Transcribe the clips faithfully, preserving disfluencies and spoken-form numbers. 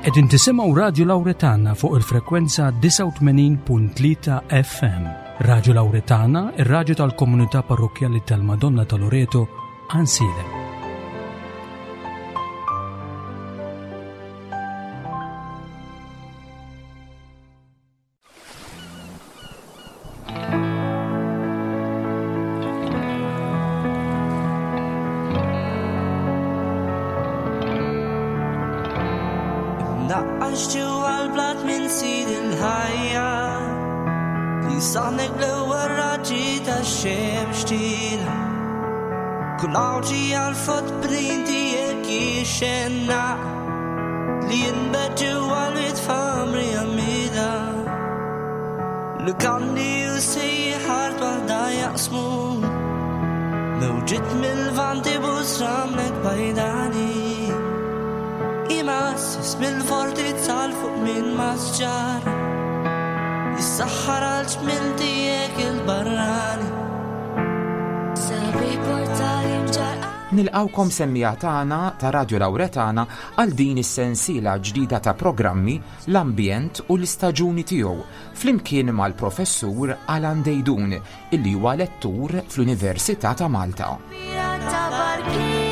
Qegħdin tisimgħu Radio Lauretana fuq il-frekwenza disgħa u tmenin punt tlieta F M. Radio Lauretana, ir-radju tal-komunità parrokkjali tal-Madonna ta' Loreto, Għajnsielem. Naqqax ġewwa l-blat minn sid il-ħajja li saħnek bl-ewwel raġġi tax-xemx tiela. Kull għawġi għal-footprint tiegħek jixxennaq li jinbet ġewwa l-itfamri għamida. Lukandi u sejħart waħda jaqsmu mewġiet mil-lvant ibus ramlek bajdani. Imassis mill-fortizza 'l fuq minn masġar jissaħħar għal ġmiel tiegħek il-barrani. Sabiħ portali mġar. Nilqgħukom, semmiegħa tagħna ta' Radio Lauretana, għal din is-sensiela ġdida ta' programmi "L-Ambjent u l-Istaġuni Tiegħu" flimkien mal-professur Alan Deidun, illi huwa lettur fl-Università ta' Malta. Ta' barkiet.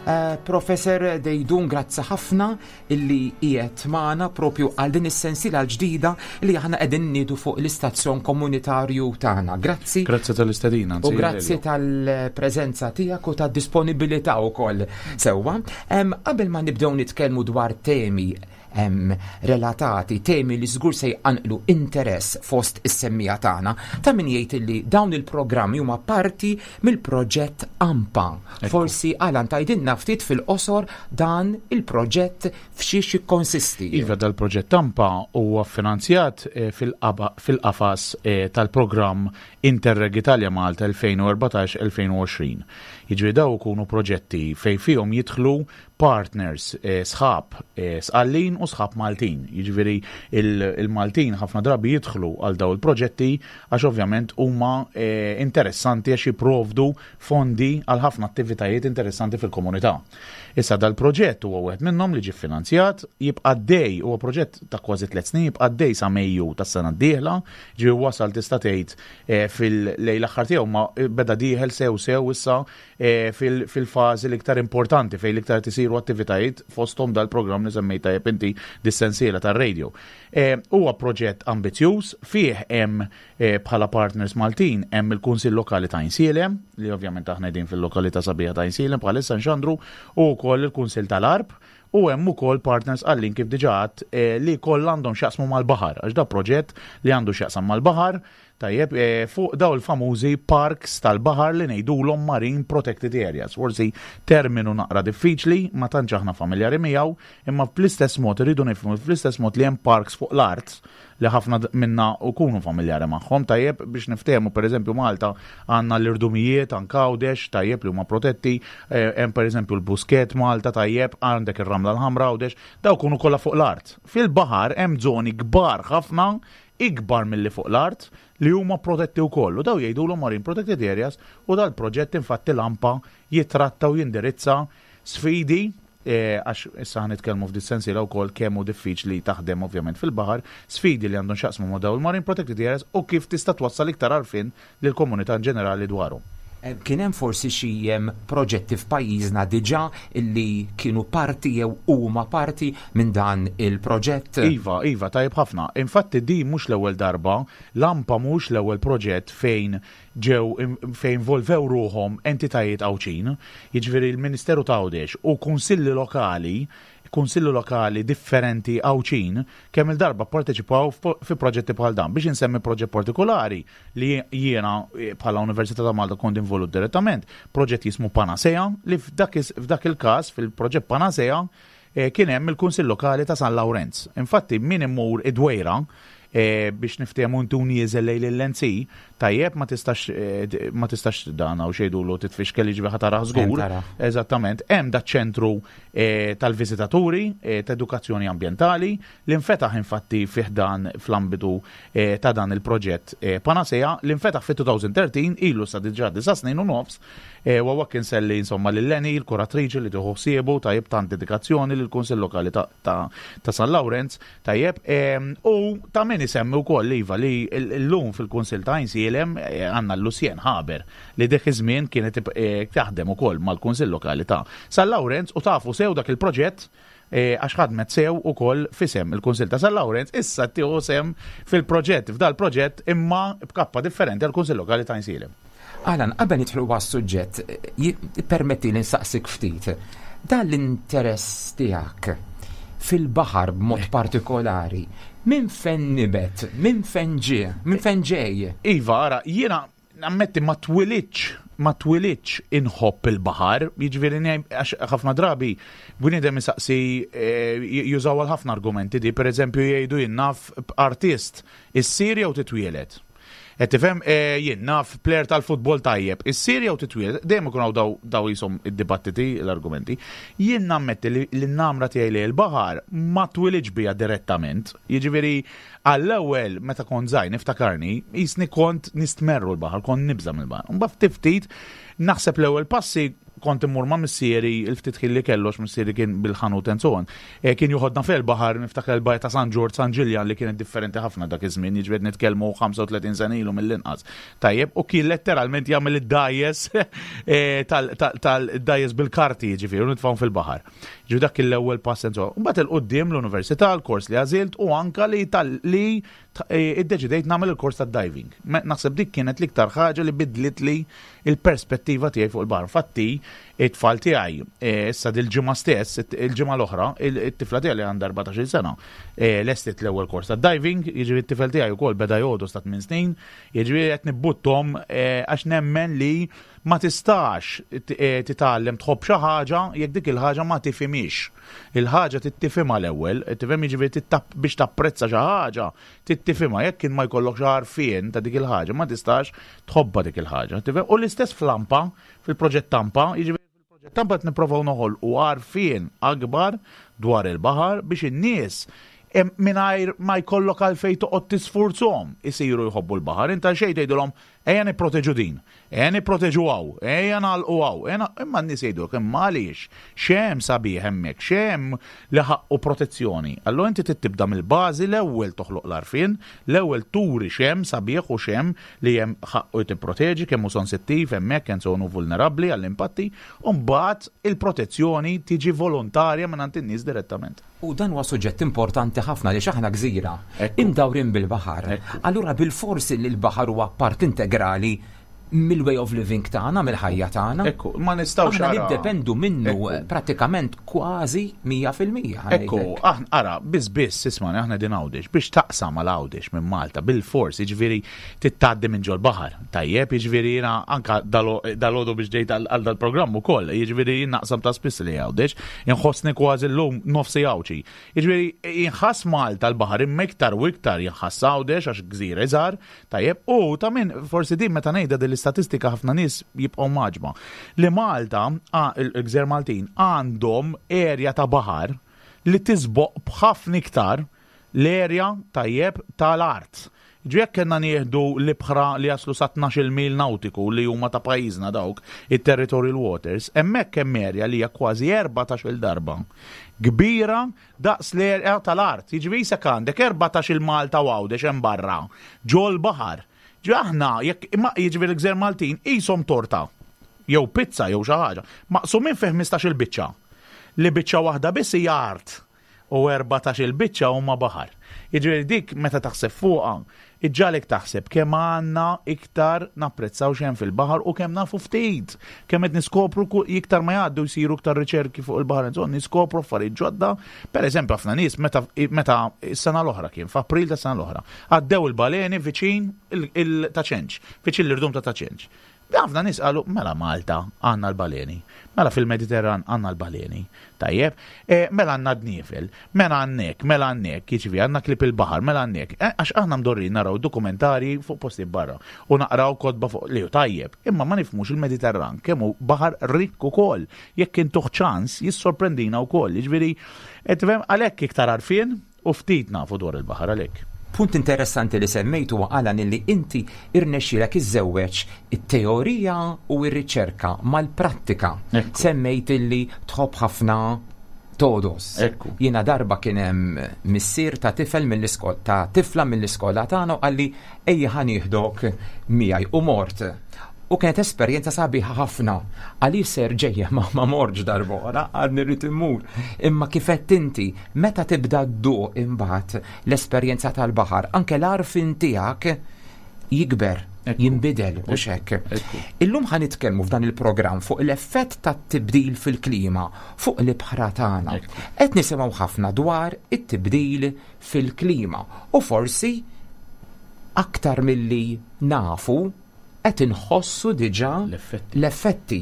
Uh, Professor Deidun, grazzi ħafna illi qiegħed magħna propju għal din is-sensiela l-ġdida li aħna qegħdin niedu fuq l-istazzjon komunitarju tagħna. Grazzi. Grazzi tal-istedina. U grazzi tal-preżenza tiegħek u tad-disponibilità wkoll. Sewwa, em, qabel ma nibdew nitkellmu dwar temi em, relatati, temi li żgur se jqanqlu interess fost is-semmiegħa tagħna, ta' min jgħid li dawn il-programmi huma parti mill-proġett AMPA. Forsi, Alan, tgħidilna ftit fil-qosor dan il-proġett f'xiex jikkonsisti. Iva, dal-proġett AMPA huwa finanzjat eh, fil-qaba- fil-qafas eh, tal-programm Interreg Italia Malta elfejn u erbatax-elfejn u għoxrin. Jiġri daw ikunu proġetti fej fihom jidħlu partners, eh, sħab eh, Sqallin u sħab Maltin. Jiġifieri il-Maltin ħafna drabi jidħlu għal daw il-proġetti għax ovvjament huma eh, interessanti għax jipprovdu fondi għal ħafna attivitajiet interessanti fil-komunità. Issa dal-proġett huwa wieħed minnhom li ġie finanzjat, jibqa' għaddej, huwa proġett ta' kważi tliet snin, jibqa' għaddej sa Mejju tas-sena d-dieħla, ġie wasal tista' tgħid eh, fil-lejl l-aħħar tiegħu, ma beda dieħel sew sew issa eh, fil- fil-fażi l-iktar importanti fejn l-iktar tisiru attivitajiet, fosthom dal-programm li semmejta tajjeb inti, dis-sensiela tar-radio. Eh, Huwa proġett ambizzjuż, fih hemm eh, bħala partners Maltin hemm il-Kunsill Lokali ta' Għajnsielem, li ovvjament aħna qegħdin fil-lokalità sabiħa ta' Għajnsielem bħalissa nxandru, u wkoll il-Kunsill tal-Għarb, u hemm ukoll partners għallin kif diġà għedt, eh, li kollha għandhom x'jaqsmu mal-baħar, għax da proġett li għandu x'jaqsam mal-baħar, tajjeb, eh, fuq daw il-famużi parks tal-baħar li ngħidulhom Marine Protected Areas. Forsi terminu naqra diffiċli, ma tantx aħna familjari miegħu, imma fl-istess mod irridu nifhmu, fl-istess mod li hemm parks fuq l-art li ħafna d- minna ukunu familjari magħhom, tajjeb, biex niftehmu, pereżempju Malta għandna l-irdumijiet, anke Għawdex, tajjeb, li huma protetti, eh, hemm pereżempju l-Buskett Malta, tajjeb, għandek ir-Ramla l-Ħamra Għawdex, daw kunu kollha fuq l-art. Fil-baħar hemm żoni kbar ħafna, ikbar milli fuq l-art, li huma protetti wkoll. U daw jgħidulhom Marine Protected Areas, u dal-proġett infatti l-AMPA jitratta u jindirizza sfidi, eh, għax issa ħa nitkellmu f'dis sensiela wkoll kemm hu diffiċli taħdem ovvjament fil-baħar, sfidi li għandhom x'jaqsmu ma' dawn il-Marine Protected Areas u kif tista' twassal iktar għarfien lill-komunità ġenerali dwarhom. Eh, Kien hemm forsi xi em, proġetti f'pajjiżna diġà illi kienu parti jew huma parti minn dan il-proġett? Iva, Iva, tajjeb ħafna. Infatti di mhux l-ewwel darba, l-AMPA mhux l-ewwel proġett fejn ġew fejn involvew ruħhom entitajiet Għawdxin, jiġifieri l-Ministeru ta' Għawdex u kunsilli lokali, kunsilli lokali differenti Għawdxin, kemm il-darba parteċipaw fi proġetti bħal dan. Biex insemmi proġett partikolari li jiena eh, bħala Università ta' Malta kont involut direttament, proġett jismu Panacea, li f'dak is- f'dak il-każ, fil-proġett Panacea, eh, kien hemm il-Kunsill Lokali ta' San Lawrenz. Infatti min imur id-Dwejra, eh, biex niftehmu intu nieżel lejn il-L N C, tajjeb, ma tistax eh, ma tistax dan hawn xejdulu titfixkel, jiġifieri ħa tarah żgur. Eżattament, hemm da ċentru eh, tal-viżitaturi eh, ta' edukazzjoni ambjentali li nfetaħ infatti fih dan fl-ambitu eh, ta' dan il-proġett eh, Panacea li nfetaħ fit-elfejn u tlettax, ilu sa diġà disa' snin u nofs, eh, u għawak inselli insomma lil Leni, il-kuratriċi li tieħu ħsiebu, tajjeb, tant dedikazzjoni lill-Kunsill Lokali ta', ta, ta' San Lawrenz, tajjeb, em, u ta' min isemmi wkoll, iva, li l-lum fil-Kunsill ta' Għajnsielem eh, għandna l-Lucien Haber li dik iż-żmien kienet eh, taħdem ukoll mal-Kunsill Lokali ta' San Lawrenz u tafu sew dak il-proġett eh, għax ħadmet sew ukoll f'isem il-Kunsill ta' San Lawrenz, issa tieħu sehem fil-proġett, f'dal proġett imma b'kappa differenti għal-Kunsill Lokali ta' Għajnsielem. Alan, qabel nidħlu għas-suġġett, permetti li nsaqsik ftit. Dan l-interess tiegħek fil-baħar b'mod partikolari, minn fejn nibet, minn fejn ġie, minn fejn ġej? Iva, ara, jiena nammetti ma twilidtx ma twilidtx inħobb il-baħar, jiġifieri għax ħafna drabi bniedem isaqsi, eh, jużaw għal ħafna argumenti di, per eżempju jgħidu, jien naf, artist, issir jew titwielet? Qed tifhem, eh, jien naf, player tal-futbol tajjeb, issir jew titwieled? Dejjem ikun hawn daw daw jisom id-dibattiti, l-argumenti. Jien nammetti li l-namra tiegħi li l-baħar ma twilidx bija direttament. Jiġifieri għall-ewwel meta kont żgħir niftakarni, jisni kont nistmerru l-baħar, kont nibża' mill-baħar. Mbagħad ftit ftit naħseb l-ewwel passi kont immur ma' missieri il-ftit ħin li kellu, għax missieri kien bil-ħanut and so on. E, kien joħodna fil-baħar, niftakar il-bajja ta' San Ġorġ, San Ġiljan, li kienet differenti ħafna dak iż-żmien, jiġifieri nitkellmu ħamsa u tletin sena ilu mill-inqas. Tajjeb, u kien letteralment jagħmel id-dgħajjes tal-dgħajjes bil-karti, jiġifieri, u nitfgħu fil-baħar. Ġu dak l-ewwel pass and so on. Mbagħad il-qudiem l-università, l-kors li għażilt u anka li tal li iddeċidejt nagħmel il-kors tad-diving. Naħseb dik kienet l-iktar ħaġa li bidlit li il-perspettiva tiegħi fuq il-baħar. Fatti, it-tfal tiegħi issa dil-ġimgħa stess, il-ġimgħa l-oħra, it-tifla tiegħi li għandha erbatax-il sena, lestit l-ewwel kors tad-diving, jiġifieri t-tifel tiegħi wkoll beda jgħodu sta tmien snin, jiġifieri qed nibbuttom għax nemmen li ma tistax titgħallem tħobb xi ħaġa jekk dik il-ħaġa ma tifhimix. Il-ħaġa tittifhimha l-ewwel, tifhem, jiġifieri biex tapprezza xi ħaġa tittifhimha, jekk kien ma jkollokx għarfien ta' dik il-ħaġa ma tistax tħobba dik il-ħaġa. U l-istess fl-AMPA, fil-proġett Tampa, jiġifieri fil-proġett Tampa qed nipprovaw noħolqu għarfien akbar dwar il-baħar biex in-nies mingħajr ma jkollok għalfejn toqgħod tisfurzhom isiru jħobbu l-baħar. Inta xejn tgħidulhom ejja nipproteġu din, ejja nipproteġu hawn, ejja nagħlqu hawn, imma n-nies jgħidulek imma għaliex, x'hemm sabiħ hemmhekk, x'hemm li ħaqqu protezzjoni? Allura inti tibda mill-bażi, l-ewwel toħloq l-għarfien, l-ewwel turi x'hemm sabiħ u x'hemm li hemm ħaqqu tipproteġi, kemm hu sensittiv hemmhekk, kemm sonu vulnerabbli għall-impatti, u mbagħad il-protezzjoni tiġi volontarja minn għand in-nies direttament. U dan huwa suġġett importanti ħafna li aħna gżira imdawrin bil-baħar. Allura bil-forsi li l-baħar huwa part integrali mill-way of living tagħna, mill-ħajja tagħna. Ekku, ma nistgħux Aħna niddependu minnu prattikament kważi mija fil-mija. Ekku, aħna ara, biss biss ismani, aħna din Għawdex, biex taqsam għal Għawdex minn Malta bil-fors, jiġifieri tgħaddi minn ġol baħar. Tajjeb, jiġifieri jiena anka dalgħodu biex ġejt għal dal-programm ukoll, jiġifieri jien naqsam ta' spiss li Għawdex, inħossni kważi llum nofsi Għawdxi. Jiġifieri jinħass Malta l-baħar imma iktar u iktar jinħass Għawdex għax gżira iżgħar, tajjeb, u ta' min forsi din meta ngħidha din l-istatistika ħafna nies jibqgħu mgħaġġba. Li Malta, il-gżejjer Maltin għandhom erja ta' baħar li tisboq b'ħafna iktar l-erja, tajjeb, tal-art. Ġu jekk kellna nieħdu l-ibħra li jaslu sa tnax-il mil nautiku li huma ta' pajjiżna, dawk it-territorial waters, hemmhekk hemm erja li hija kważi erbatax-il darba kbira daqs l-erja tal-art. Jiġifieri jisek għandek erbatax-il Malta u Għawdex hemm barra ġol baħar. Ġu aħna jekk imma jiġifieri l-gżejjer Maltin qishom torta jew pizza jew xi ħaġa, maqsumin fi ħmistax-il biċċa. Li biċċa waħda biss hija art u erbatax-il biċċa huma baħar. Jiġifieri dik meta taħseb fuqha, iġġagħlek taħseb kemm għandna iktar napprezzaw x'hemm fil-baħar u kemm nafu ftit. Kemm qed niskopru iktar ma jgħaddu, jsiru iktar riċerki fuq il-baħar, insomma niskopru affarijiet ġodda. Per eżempju, ħafna nies meta meta s-sena l-oħra, kien f'April ta' sena l-oħra, għaddew il-baleni viċin il-Ta' Ċenċ, viċin l-irdum ta' Ta' Ċenċ. Ħafna nies qalu mela Malta għandna l-baleni, mela fil-Mediterran għandna l-baleni, tajjeb, e, mela għandna dniefel, mela għandek, mela għandek, jiġifieri għandna klieb il-baħar, mela għandek, e, għax aħna mdorrin naraw dokumentari fuq posti barra u naqraw kotba fuq li hu tajjeb, imma ma nifhmux il-Mediterran kemm hu baħar rikk ukoll, jekk intuh ċans jissorprendina wkoll, jiġifieri, tifhem għalhekk iktar għarfien u ftit nafu dwar il-baħar għalhekk. Punt interessanti li semmejtu huwa Alan illi inti irnexxielek iżżewweġ it-teorija u r-riċerka mal-prattika. Ekku. Semmejt illi tħobb ħafna togħdos. Ekku. Jiena darba kien hemm missier ta' tifel mill-iskola ta' tifla mill-iskola tagħna u qalli ejja ħa nieħdok miegħi u mort. U kienet esperjenza sabiħa ħafna. Għalli ser ġejja ma ma mortx darb'oħra, għad irrid immur. Imma kif għedt inti, meta tibda dduq imbagħad l-esperjenza tal-baħar, anke l-għarfien tiegħek jikber, Ekku. jinbidel u xek. Ekku. Illum ħa nitkellmu f'dan il-programm fuq l-effett tat-tibdil fil-klima fuq l-ibħra tagħna. Ekku. Qed nisimgħu ħafna dwar it-tibdil fil-klima u forsi aktar milli nafu qed inħossu diġà L-effetti. l-effetti.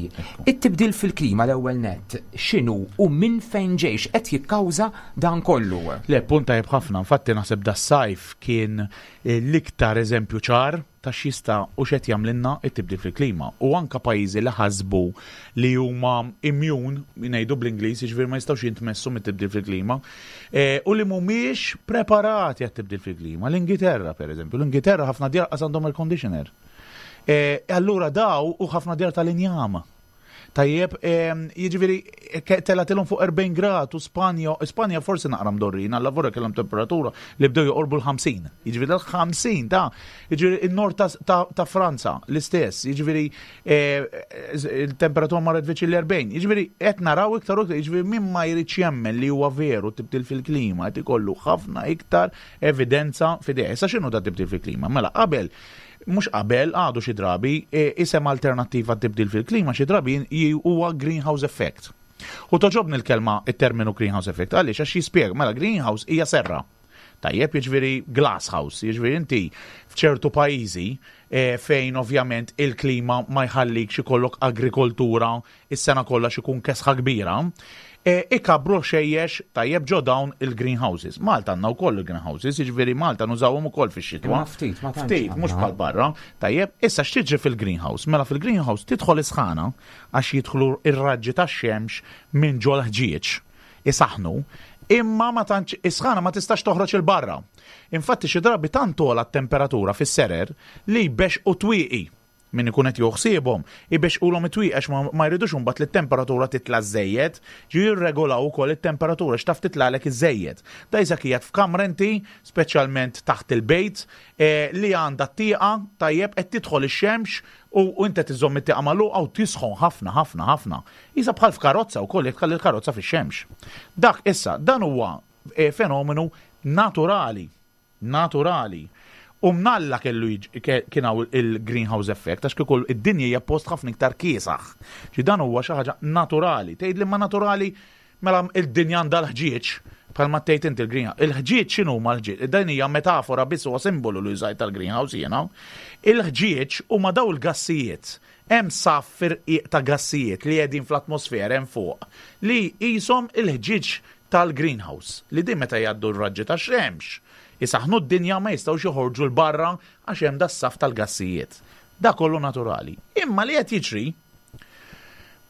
It-tibdil fil-klima l-ewwel nett x'inhu u minn fejn ġejx qed jikkawża dan kollu. Le, punt tajjeb ħafna, infatti naħseb das-sajf kien eh, l-iktar eżempju ċar ta' x'jista' u x'qed jagħmlilna it-tibdil fil-klima. U anka pajjiżi li ħasbu li huma immune, ngħidu bl-Ingliż, jiġifieri ma jistgħux jintmessu mit-tibdil fil-klima, eh, u li mhumiex preparati għat-tibdil fil-klima. L-Ingilterra, per eżempju, l-Ingilterra ħafna djar qas għandhom air conditioner. Eh, allura daw u ħafna djar tal-injama. Tajjeb, em, jiġifieri ke- telatilhom fuq erbgħin grad u Spanja, Spanja forsi naqra mdorrin, alla vorra kellhom temperatura li bdew joqorbu l-ħamsin. Jiġifieri l-ħamsin ta' jiġifieri in-nord ta', ta, ta' Franza l-istess, jiġifieri eh, il-temperatura marret viċin l-erbgħin. Jiġifieri qed naraw iktar u iktar, jiġifieri min ma jridx jemmen li huwa veru tibdil fil-klima qed ikollu ħafna iktar evidenza f'idejh. Issa x'inhu da tibdil fil-klima? Mela qabel mhux qabel, għadu xi drabi, e, isem alternattiva tibdil fil-klima xi drabi j- huwa greenhouse effect. U togħġobni l-kelma it-terminu greenhouse effect, għaliex għax jispjega, mela greenhouse hija serra. Tajjeb, jiġifieri glass house, jiġifieri inti f'ċertu pajjiżi e, fejn ovvjament il-klima ma jħallikx ikollok agrikoltura is-sena kollha x'ikun kesħa kbira, e, ikabru ħxejjex tajjeb ġo dawn il-greenhouses. Malta għandna wkoll il-greenhouses, jiġifieri Malta nużawhom ukoll fix-xitwa. Imma ftit, ma tantx Ftit, mhux għandna. bħal barra. Tajjeb, issa x'tiġri fil-greenhouse? Mela fil-greenhouse tidħol isħana għax jidħlu ir-raġġi tax-xemx minn ġol ħġieġ isaħnu, imma ma tantx isħana ma tistax toħroġ il barra. Infatti xi drabi tant togħla t-temperatura fis-serer li jbexqu twieqi min ikun qed joħsiebhom, ibexqulhom it-twieqi għax ma, ma jridux imbagħad li t-temperatura titla' żejjed, ġi jirregolaw ukoll it-temperatura x'taf titlagħlek iżejjed. Da jisa qiegħed f'kamra inti, speċjalment taħt il-bejt, eh, li għandha t-tieqa tajjeb qed tidħol ix-xemx u, u inti tiżomm it-tieqa magħluqa u tisħon ħafna ħafna ħafna. Isa bħal f'karozza wkoll jekk tħalli l-karozza fix-xemx. Dak issa dan huwa eh, fenomenu naturali, naturali. U mnalla kellu jiġ- ke- kien hawn il-greenhouse effect, għax kieku id-dinja hija post ħafna iktar kiesaħ. Ġi dan huwa xi ħaġa naturali. Tgħid li ma naturali mela id-dinja għandha l-ħġieġ, bħalma tgħid inti il-greenhouse. Il-ħġieġ x'inhu ma l-ħġieġ? Dan hija metafora biss huwa simbolu li użajt tal-greenhouse jiena. Il-ħġieġ huma daw il-gassijiet. Hemm saff irqiq ta' gassijiet li qegħdin fl-atmosfera hemm fuq li qishom il-ħġieġ tal-greenhouse li din meta jgħaddu r-raġġi tax-xemx isaħnu d-dinja ma jistgħux joħorġu l-barra għax hemm das-saff tal-gassijiet. Da kollu naturali. Imma li qed jiġri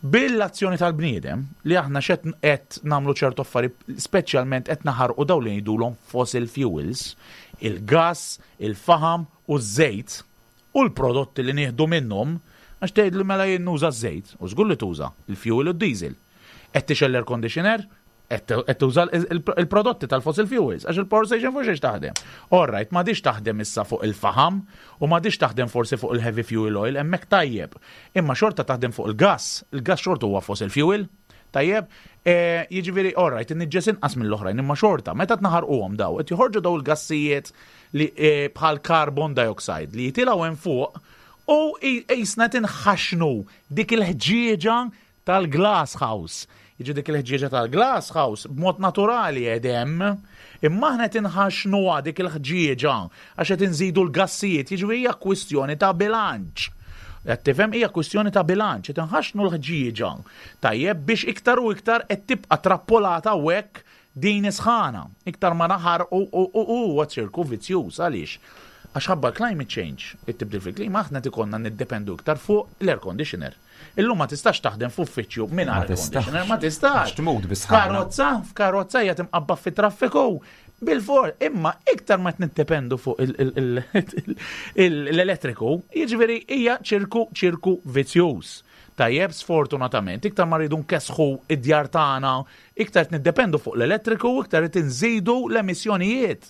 bil-azzjoni tal-bniedem li aħna xed qed nagħmlu ċertu affarijiet, speċjalment qed naħarqu dawn li ngħidulhom fossil fuels, il-gas, il-faham u ż-żejt u l-prodotti li nieħdu minnhom, għax tgħid li mela jien nuża ż-żejt, u żgur li tuża il-fuel u d-diesel. Qed tixgħel l-air conditioner, qed tuża il-prodotti tal-fossil fuels, għax il-power station fuq xiex taħdem. All right, m'għadix taħdem issa fuq il-faham u m'għadix taħdem forsi fuq il-heavy fuel oil, hemmhekk tajjeb. Imma xorta taħdem fuq il-gas, il-gas xorta huwa fossil fuel, tajjeb, e, jiġifieri, all right, inniġġes inqas mill-oħrajn, imma xorta, meta tnaħarquhom daw, qed joħorġu daw il-gassijiet li e, bħal carbon dioxide li jitilgħu hemm fuq u qisna tinħaxnu dik il-ħġieġa tal-glass house. Jiġi dik il-ħġieġa tal-glass house b'mod naturali edem, imma aħna tinħaxnuha dik il-ħġieġa għax qed inżidu l-gassijiet, jiġifieri hija kwistjoni ta' bilanċ. Qed tifhem, hija kwistjoni ta' bilanċ, qed inħaxnu l-ħġieġa. Tajjeb, biex iktar u iktar qed tibqa' trappolata hekk din isħana. Iktar ma naħar u huwa ċirku vizzjuż. Għaliex? Għax ħabba climate change, it-tibdil fil-klima, aħna tikonna niddependu iktar fuq l-air conditioner. Illum ma tistax taħdem f'uffiċċju minn air conditioner, ma tistax. Tmut bisħana. Karozza, f'karozza hija timqabba fit-traffiku. Bil-for, imma iktar ma niddependu fuq l-elettriku, jiġifieri hija ċirku ċirku vizzjuż. Tajjeb, sfortunatament, iktar ma rridu nkesħu id-djar tagħna, iktar niddependu fuq l-elettriku, iktar qed inżidu l-emissjonijiet.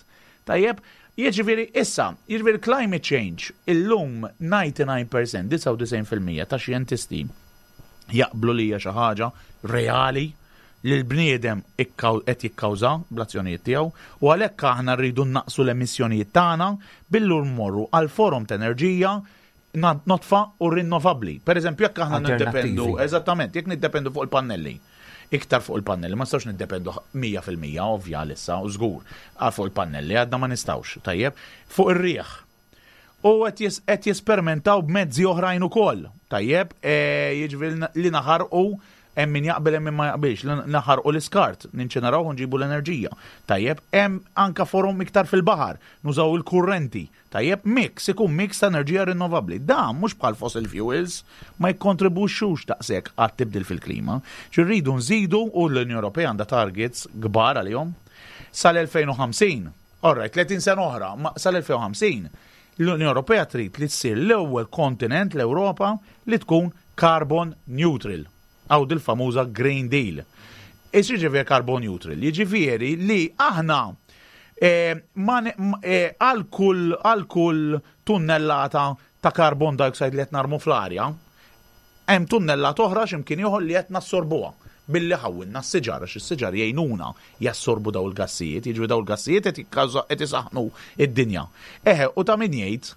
Tajjeb, jiġifieri issa, jiġifieri climate change, illum disgħa u disgħin fil-mija, disgħa u disgħin fil-mija ta' xjentisti jaqblu li hija xi ħaġa reali li l-bniedem qed jikkawża bl-azzjonijiet tiegħu, u għalhekk aħna rridu naqsu l-emissjonijiet tagħna billi mmorru għal forom ta' enerġija nodfa u rinnovabbli. Per eżempju, jekk aħna niddependu, eżattament, jekk niddependu fuq il-pannelli, iktar fuq il-pannelli, ma nistgħux niddependu mija fil-mija ovvja issa u żgur għal fuq il-pannelli, għadna ma nistgħux, tajjeb, fuq ir-riħ. U qed jesperimentaw b'mezzi oħrajn ukoll, tajjeb, e, jiġifieri li naħarqu, hemm min jaqbel, hemm min ma jaqbilx, li naħarqu l-iskart, ninċineraw u nġibu l-enerġija. Tajjeb, hemm anka forom iktar fil-baħar, nużaw il-kurrenti. Tajjeb, mix, ikun mix ta' enerġija rinnovabbli. Dan mhux bħal fossil fuels, ma jikkontribwixxux daqshekk għat-tibdil fil-klima. Rridu nżidu, u l-Unjoni Ewropea għandha targets kbar għalihom sal-elfejn u ħamsin. Alright, tletin sena oħra, ma sal-elfejn u ħamsin l-Unjoni Ewropea trid li tsir l-ewwel kontinent, l-Ewropa, li tkun carbon neutral. Għaw dil-famuża Green Deal. Ix jiġifieri carbon neutral? Jiġifieri li aħna eh, għal kull għal kull tunnellata ta' carbon dioxide li qed narmu fl-arja, hemm tunnellata oħra x'imkien ieħor li qed nassorbuha billi ħawwilna s-siġar, għax is-siġar jgħinuna jassorbu daw il-gassijiet, jiġu daw il-gassijiet qed isaħnu id-dinja. Eħe, u ta' min jgħid,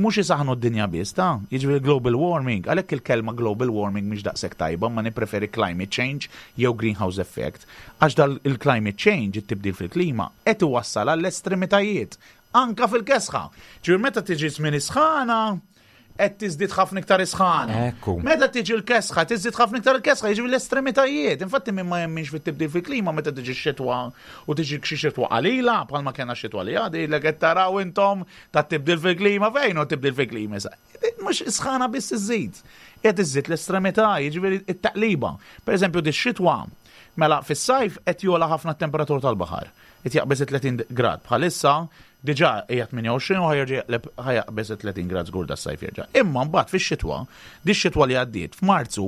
mhux isaħnu d-dinja biss, ta' jiġifieri global warming, għalhekk il-kelma global warming mhix daqshekk tajba, ma nippreferi climate change jew greenhouse effect, għax dal il-climate change, it-tibdil fil-klima, qed iwassal għall-estremitajiet, anka fil-kesħa. Ġifieri meta tiġi żmien isħana, qed tiżdied ħafna iktar isħana. Ekku. Meta tiġi l-kesħa, tiżdied ħafna iktar il-kesħa, jiġi l-estremitajiet. Infatti min ma jemminx fit-tibdil fil-klima, meta tiġi x-xitwa u tiġi xi xitwa qalila, bħalma kellna xitwa li għadi, li qed taraw intom ta' tibdil fil-klima, fejn hu tibdil fil-klima issa? Mhux isħana biss iżid. Qed iżid l-estremità, jiġifieri it-taqliba. Per eżempju, di xitwa, mela fis-sajf qed jogħla ħafna t-temperatura tal-baħar. Qed jaqbeż tletin grad. Bħalissa diġà hija tmienja u għoxrin u ħa jaqbeż tletin grad żgur das-sajf jerġa'. Imma mbagħad fix-xitwa, di x-xitwa li għaddiet f'Marzu,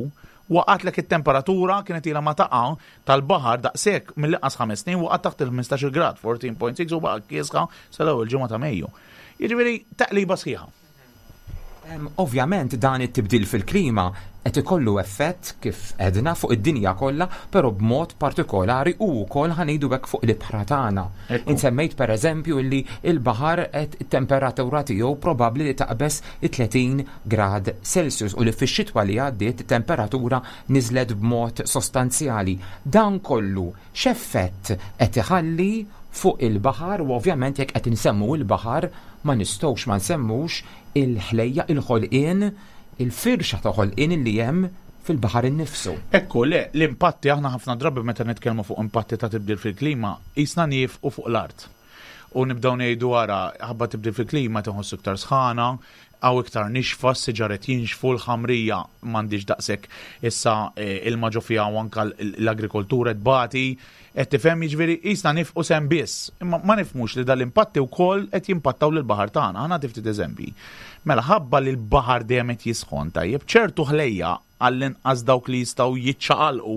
waqatlek it-temperatura, kienet ilha ma taqa' tal-baħar daqshekk mill-inqas ħames snin, waqgħet taħt il-ħmistax-il grad, erbatax punt sitta, u baqa' kiesħa sal-ewwel ġimgħa ta' Mejju. Jiġifieri taqliba sħiħa. Ovvjament dan it-tibdil fil-klima qed ikollu effett, kif edna, fuq id-dinja kollha, però b'mod partikolari u wkoll, ħa ngħidu hekk, fuq l-ibħra tagħna. Insemmejt pereżempju li il-baħar qed it-temperatura tiegħu probabbli li taqbeż it-tletin grad Celsius u li fix-xitwa li għaddiet temperatura niżlet b'mod sostanzjali. Dan kollu x'effett qed iħalli fuq il-baħar? U ovvjament jekk qed insemmu il-baħar ma nistgħux ma nsemmux il-ħlejja, il-ħolqien, il-firxa ta' ħolqien li hemm fil-baħar innifsu. Ekku, le, l-impatti, aħna ħafna drabi meta nitkellmu fuq impatti ta' tibdil fil-klima, qisna nieqfu fuq l-art. U nibdew ngħidu, ara, ħabba tibdil fil-klima tinħossu iktar sħana, għaw iktar nixfa, s-siġar qed jinxfu, l-ħamrija m'għandix daqshekk issa eh, ilma ġo fiha u anka l-agrikoltura tbati, qed tifhem, jiġifieri qisna nieqfu s'hemm biss. Imma ma nifhmux li dal-impatti wkoll qed jimpattaw lill-baħar tagħna. Ħa nagħti ftit eżempji. Mela ħabba li l-baħar dejjem qed jisħon, tajjeb, ċertu ħlejja, għall-inqas dawk li jistgħu jiċċaqalqu,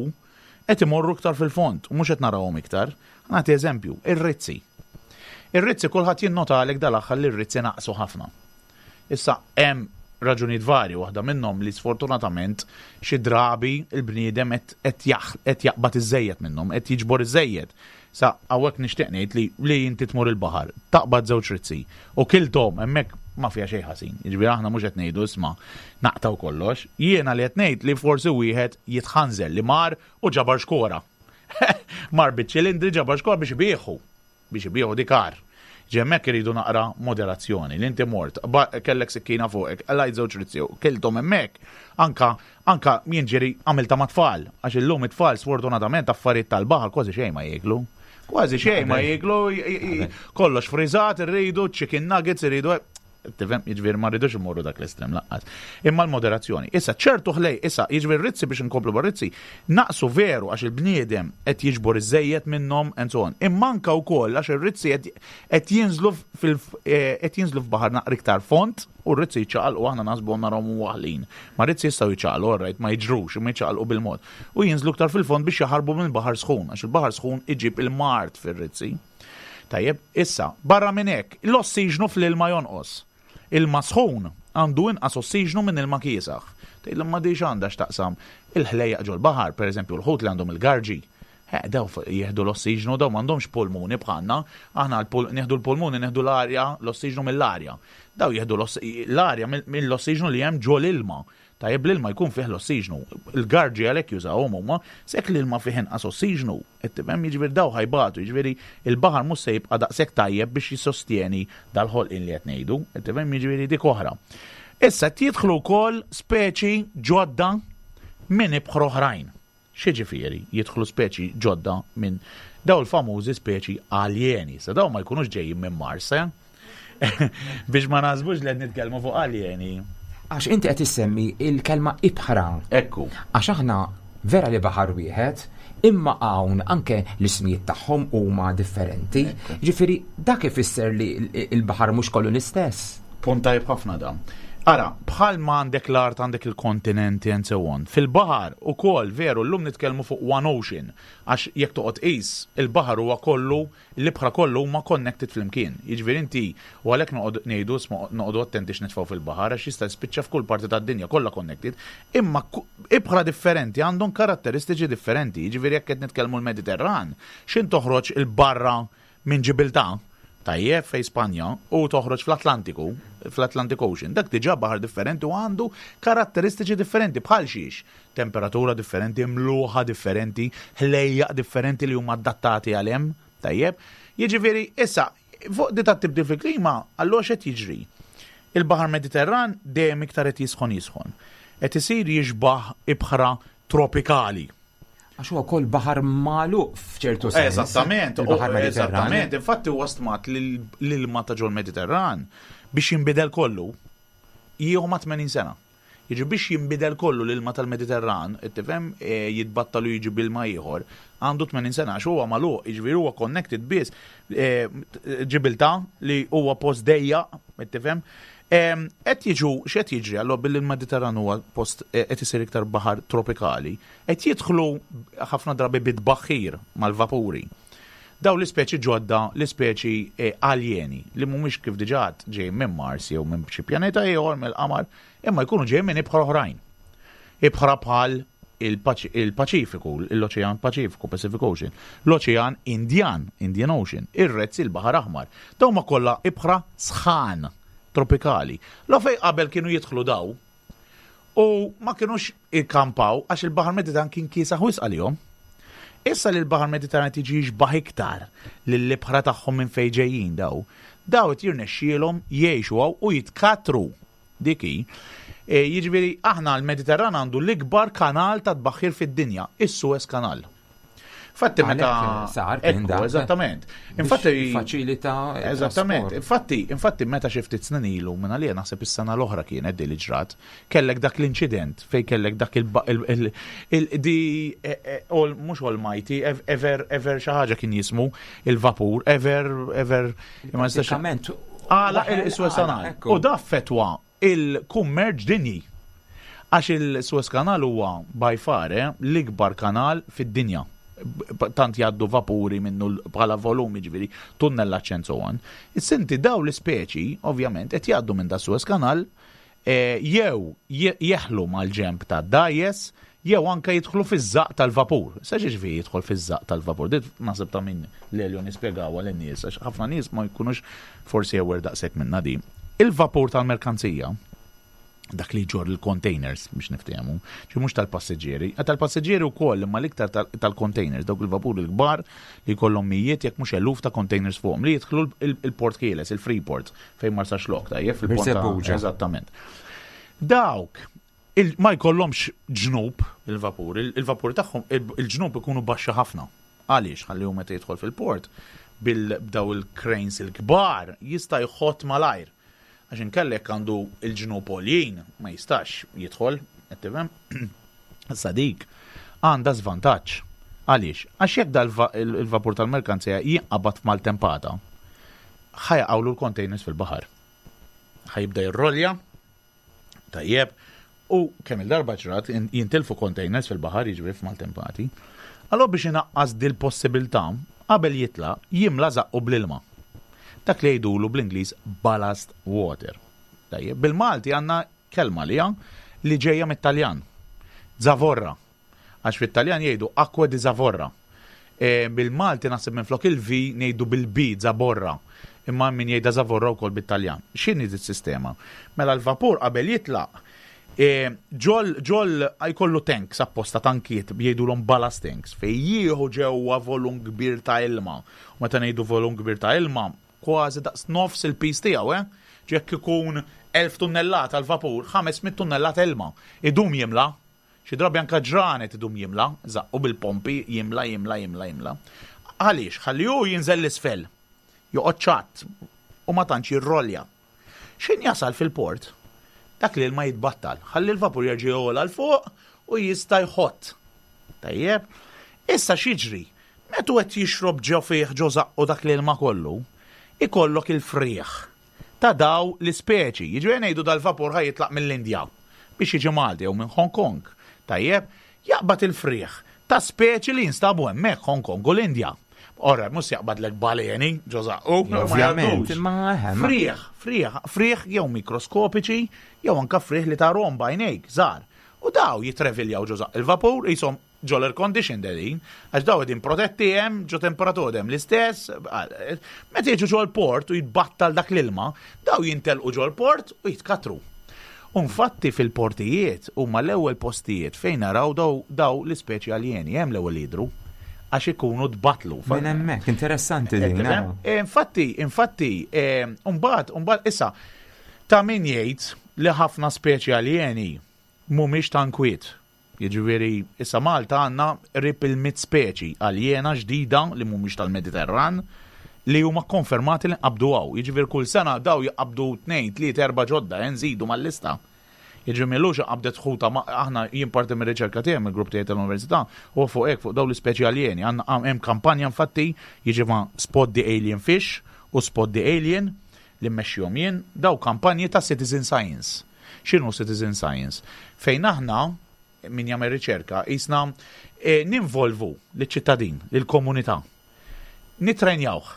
qed imorru iktar fil-fond u mhux qed narawhom iktar. Nagħti eżempju, ir-rizzi. Ir-rizzi, kulħadd jinnota għalek dal-aħħar li r-rizzi naqsu ħafna. Issa hemm raġunijiet varji, waħda minnhom li sfortunatament xi drabi il-bniedem qed jaqbad iżejjed minnhom, qed jiġbor iżejjed. Sa hawnhekk nixtieq ngħid li li inti tmur il-baħar, taqbad żewġ rizzi u kilthom hemmhekk, ma fiha xejn ħażin. Jiġifieri aħna mhux qed ngħidu isma' naqtaw kollox. Jiena li qed ngħid li forsi wieħed jitħanżel li mar u ġabar xkora. Mar biċ-ċilindri, ġabar xkora biex ibieħu. Biex ibieħu dikar. Hemmhekk iridu naqra moderazzjoni. Li inti mort, kellek sikkina fuqek, qlajt żewġ rizzi, kilthom hemmhekk, anka anka jien ġieli għamiltha mat-tfal, għax illum it-tfal sfortunatament affarijiet tal-baħar kważi xejn ma jieklu. Kważi xejn ma jieklu, kollox friżat, irridu, chicken nuggets, irridu, tifhem, jiġifieri ma rridux imorru dak l-estrem lanqas. Imma l-moderazzjoni. Issa ċertu ħlej, issa jiġifieri rizzi biex inkomplu bar-rizzi, naqsu veru għax il-bniedem qed jiġbor iż-żejjed minnhom and so on. Imma anka wkoll għax ir-rizzi qed jinżlu fil qed jinżlu f'baħar naqra iktar fond u r-rizzi jiċċaqalqu, aħna naħsbu narahom waħlin. Ma rizzi jistgħu jiċċaqalqu, alright, ma jiġrux, imma jiċċaqalqu bil-mod. U jinżlu iktar fil-fond biex jaħarbu minn baħar sħun, għax il-baħar sħun iġib il-mard fir-rizzi. Tajjeb, issa, barra minn hekk, l-ossiġnu fl-ilma jonqos. Ilma sħun għandu inqas ossiġnu minn ilma kiesaħ. Tgħid ma diġ għandha x'taqsam il-ħlejjaq ġol-baħar, pereżempju l-ħut li għandhom il-garġi. Daw jieħdu l-ossiġnu, daw m'għandhomx pulmuni bħalna, aħna nieħdu l-pulmuni, nieħdu l-arja, l-ossiġnu mill-arja. Daw jieħdu l-arja mill-ossiġnu li hemm ġol ilma. Tajjeb, l-ilma jkun fih l-ossiġnu. Il-garġi għalhekk jużawhom huma, sekk l-ilma fih inqas ossiġnu, qed tifhem, jiġifieri daw ħa jbatu, jiġifieri il-baħar mhux se jibqa' daqshekk tajjeb biex jissostjeni dal-ħolqien li qed ngħidu, qed tifhem, jiġifieri dik oħra. Issa qed jidħlu wkoll speċi ġodda minn ibħra oħrajn. X'jiġifieri jidħlu speċi ġodda minn daw il-famużi speċi aljeni. Sa daw ma jkunux ġejjin minn Mars, eh? Biex ma naħsbux li qed nitkellmu fuq aljeni. Għax inti qed issemmi il-kelma ibħra. Ekku. Għax aħna vera li baħar wieħed, imma hawn anke l-ismijiet tagħhom huma differenti. Ġifieri dak ifisser li il-baħar mhux kollu l-istess. Punt tajjeb ħafna da. Ara, bħal ma għandek l-art, għandek il-kontinenti and so on. Fil-baħar ukoll veru llum nitkellmu fuq One Ocean, għax jekk toqgħod qis, il-baħar huwa kollu, l-ibħra kollu huma connected flimkien. Jiġifieri inti u għalhekk noqgħod ngħidu noqogħdu attenti x'nitfgħu fil-baħar għax jista' jispiċċa f'kull parti tad-dinja kollha connected, imma ibħra differenti għandhom karatteristiċi differenti. Jiġifieri jekk qed nitkellmu l-Mediterran, x'in toħroġ il-barra minn Ġibiltà, tajjeb, fej Spanja, u toħroġ fl-Atlantiku, fl-Atlantic Ocean, dak diġà baħar differenti u għandu karatteristiċi differenti bħal xiex, temperatura differenti, mluħa differenti, ħlejjaq differenti li huma adattati għal hemm, tajjeb. Jiġifieri issa fuq di tat-tibdil fil-klima, allura x'qed jiġri? Il-Baħar Mediterran dejjem iktar qed jisħon jisħon. Qed isir jixbaħ ibħra tropikali. Għax huwa wkoll baħar magħluq f'ċertu sens. Eżattament, il-Baħar Mediterran. Eżattament, infatti huwa stmat li l-ilma ta' ġol Mediterran biex jinbidel kollu jieħu ma' tmenin sena. Jiġi biex jinbidel kollu l-ilma tal-Mediterran, tifhem, e, jitbattalu jiġi bilma ieħor, għandu tmenin sena għax huwa magħluq, jiġifieri huwa connected biss e, Ġibiltà li huwa post dejja, tifhem. Qed jiġu, x'qed jiġri allura billi l-Mediterran huwa post e, qed isir iktar baħar tropikali, qed jidħlu ħafna drabi bit-tbaħħir mal-vapuri. Daw l-ispeċi ġodda, l-ispeċi e, aljeni, li mhumiex kif diġà ġej minn Mars jew minn xi pjaneta ieħor mill-qamar, imma jkunu ġej minn ibħra oħrajn. Ibħra bħal il-Paċifiku, l-Oċean Paċifiku, Pacific Ocean, l-Oċean Indian, Indian Ocean, ir-Red Sea, il-Baħar Aħmar. Daw ma kollha ibħra sħan tropikali. Lo fej qabel kienu jidħlu daw u ma kienux ikkampaw għax il-Baħar Mediterran kien kiesaħ wisq għalihom. Issa li l-Baħar Mediterran tiġi jixbaħ iktar lill-ibħra tagħhom minn fejn ġejjin daw, daw qed jirnexxielhom jgħixu hawn u jitkatru. Dik hi. E, jiġifieri aħna l-Mediterran għandu l-ikbar kanal ta' tbaħħir fid-dinja, is-Suez Canal. Infatti meta Għalhekk sar kien Ekku, dak. Eżattament. Biex Infatti faċilita Eżattament. trasport. Infatti, infatti meta xi ftit snin ilu minn għalija naħseb is-sena l-oħra kienet di li ġrat, kellek dak l-inċident fej kellek dak il il il di e, e, all, mhux Almighty, ever ever xi ħaġa kien jismu il-vapur, ever ever ma nistax Pratikament. Għala il-Suez Canal. Ekku. U da affettwa il-kummerċ dinji. Għax il-Suez Canal huwa by far eh, l-ikbar kanal fid-dinja. B- tant jgħaddu vapuri minnu l- bħala volumi, ġifieri, tunnellaġġ and so on. Is-sinti daw l-ispeċi, ovvjament, qed jgħaddu minn da Suez Canal, eh, jew je- jeħlu mal-ġemp ta' dajes, jew anka jidħlu fiż-żaq tal-vapur. Sa ġifieri jidħol fiż-żaq tal-vapur? Dit naħseb ta' min Lelio nispjegawha lin-nies, għax ħafna nies ma jkunux forsi aware daqshekk minna di. Il-vapur tal-merkanzija Dak li jġorr il-containers biex niftehmu, ġi mhux tal-passiġġieri, tal-passiġġieri wkoll, imma l-iktar tal-containers, dawk il-vapuri l-kbar li jkollhom mijiet jekk mhux eluf ta' containers fuqhom li jidħlu il-Port Ħieles, il-Freeport fejn Marsaxlokk, tajjeb, fil-port. Eżattament. Dawk ma jkollhomx ġnub il-vapur, il-vapur tagħhom il-ġnub ikunu baxxa ħafna. Għaliex? Ħalli hu meta jidħol fil-port bil-daw il-cranes il-kbar jista' jħott malajr. Għax inkella jekk għandu il-ġnub għoljin ma jistax jidħol, qed tifhem? Issa dik għandha żvantaġġ. Għaliex? Għax jekk dal-vapur tal-merkanzija jinqabad f'maltempata, ħa jaqgħulu l-containers fil-baħar. Ħa jibda jirrolja, tajjeb, u kemm il-darba ġrat jintilfu containers fil-baħar, jiġri f'maltempati. Allora biex inaqqas dil-possibilità, qabel jitla jimla zaqqu bl-ilma. Dak li jgħidulu bl-Ingliż ballast water. Tajjeb, bil-Malti għandna kelma li li ġejja mit-Taljan. Zavorra. Għax fit-Taljan jgħidu acqua di zavorra. E, bil-Malti naħseb minn flok il-V ngħidu bil-B, zaborra. Imma min jgħidha zavorra wkoll bit-Taljan. X'inhi sistema? Mela l-vapur qabel jitlaq e, ġol ġol jkollu tanks apposta, tankiet jgħidulhom ballast tanks fej jieħu ġewwa volum kbir ta' ilma. U meta ngħidu volum kbir ta' ilma, kważi daqs nofs il-piż tiegħu, eh? Jekk ikun elf tunnellata l-vapur, ħames mitt tunnellata ilma. Idum jimla, xi drabi anka ġranet idum jimla, zaqqu bil-pompi, jimla, jimla, jimla, jimla. Għaliex? Ħalli hu jinżel l-isfel, joqgħod ċatt u ma tantx jirrolja. X'ħin jasal fil-port, dak li l-ma jitbattal, ħalli l-vapur jerġa' jogħla 'l fuq u jista' jħott. Tajjeb, issa x'jiġri? Meta qed jixrob ġo fih, ġo zaqqu dak li l-ma kollu, ikollok il-frieħ ta' daw l-ispeċi. Jiġifieri ngħidu dal-vapur ħa jitlaq mill-Indja biex jiġi Malti jew minn Hong Kong. Tajjeb, jaqbad il-frieħ ta' speċi li jinstabu hemmhekk Hong Kong u l-Indja. Ora, mhux jaqbadlek baleni, ġo zaqqu. Ovvjament, imma eħe, ma- Frieħ, frieħ, frieħ jew mikroskopiċi, jew anka frieħ li tarahom b'għajnejk, żgħar. U daw jitreviljaw ġo zaqq il-vapur, jisom ġo l-air condition dedin, għax daw qegħdin protetti hemm, ġo temperatura hemm l-istess, meta jiġu ġo l-port u jitbattal dak l-ilma, daw jintelqu ġo l-port u jitkatru. U infatti fil-portijiet huma l-ewwel postijiet fejn naraw daw, daw l-ispeċi aljeni, hemm l-ewwel jidru, għax ikunu tbatlu. Minn hemmhekk, interessanti din. Tifhem? Naraw. Eh, Infatti, infatti, eh, umbagħad, umbagħad, issa, ta' min jgħid li ħafna speċi aljeni mhumiex ta' nkwiet. Jiġifieri, issa Malta għandna qrib il-mitt speċi aljena ġdida li mhumiex tal-Mediterran li huma konfermati li nqabdu hawn. Jiġifieri kull sena daw jaqbdu tnejn, tliet, erba' ġodda, eh, nżidu mal-lista. Jiġifieri m'ilux qabdet ħuta, ma- aħna jien parti mir-riċerka tiegħi mill-grupp tiegħi tal-università u fuq hekk, fuq dawn l-ispeċi aljeni. Għandna hemm kampanja infatti jiġifieri Spot the Alien Fish u Spot the Alien li mmexxihom jien, daw kampanji ta' citizen science. X'inhu citizen science? Fejn aħna min jagħmel riċerka jisna eh, ninvolvu liċ-ċittadin, lill-komunità. Nitrenjawh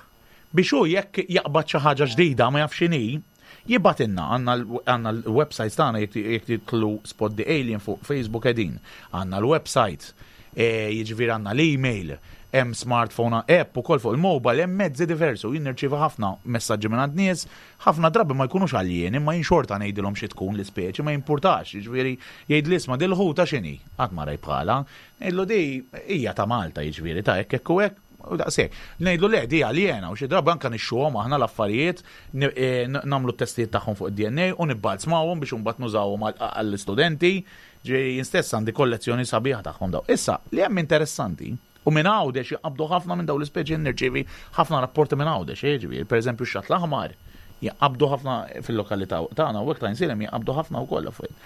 biex hu jekk jaqbad xi ħaġa ġdida ma jafx x'inhi, jibgħatilna. Għandna l- għandna l-website tagħna, jekk jekk tidħlu Spot the Alien fuq Facebook qegħdin. Għandna l-website, eh, jiġifieri għandna l-email, hemm smartphone app ukoll fuq il-mobile, hemm mezzi diversi u jien nirċievi ħafna messaġġi minn għand nies, ħafna drabi ma jkunux aljeni, imma jien xorta ngħidilhom xi tkun l-ispeċi, ma jimpurtax, jiġifieri jgħid li isma' dil-ħuta x'inhi, qatt ma rajt bħala, ngħidlu di hija ta' Malta, jiġifieri ta' hekk hekk u hekk, u daqshekk. Ngħidlu le, di aljena, u xi drabi anka nixtruhom aħna l-affarijiet, ni- eh, n- nagħmlu t-testijiet tagħhom fuq id-D N A u nibbalzmawhom biex imbagħad nużawhom għall- għall-istudenti. Ġej jien stess għandi kollezzjoni sabiħa tagħhom daw. Issa, li hemm interessanti, u minn Għawdex jaqbdu ħafna minn daw l-ispeċi, nirċievi ħafna rapporti minn Għawdex, eh, ġifieri, per eżempju x-xatt l-aħmar, jaqbdu ħafna fil-lokalità tagħna u hekk ta' Għajnsielem jaqbdu ħafna wkoll affarijiet.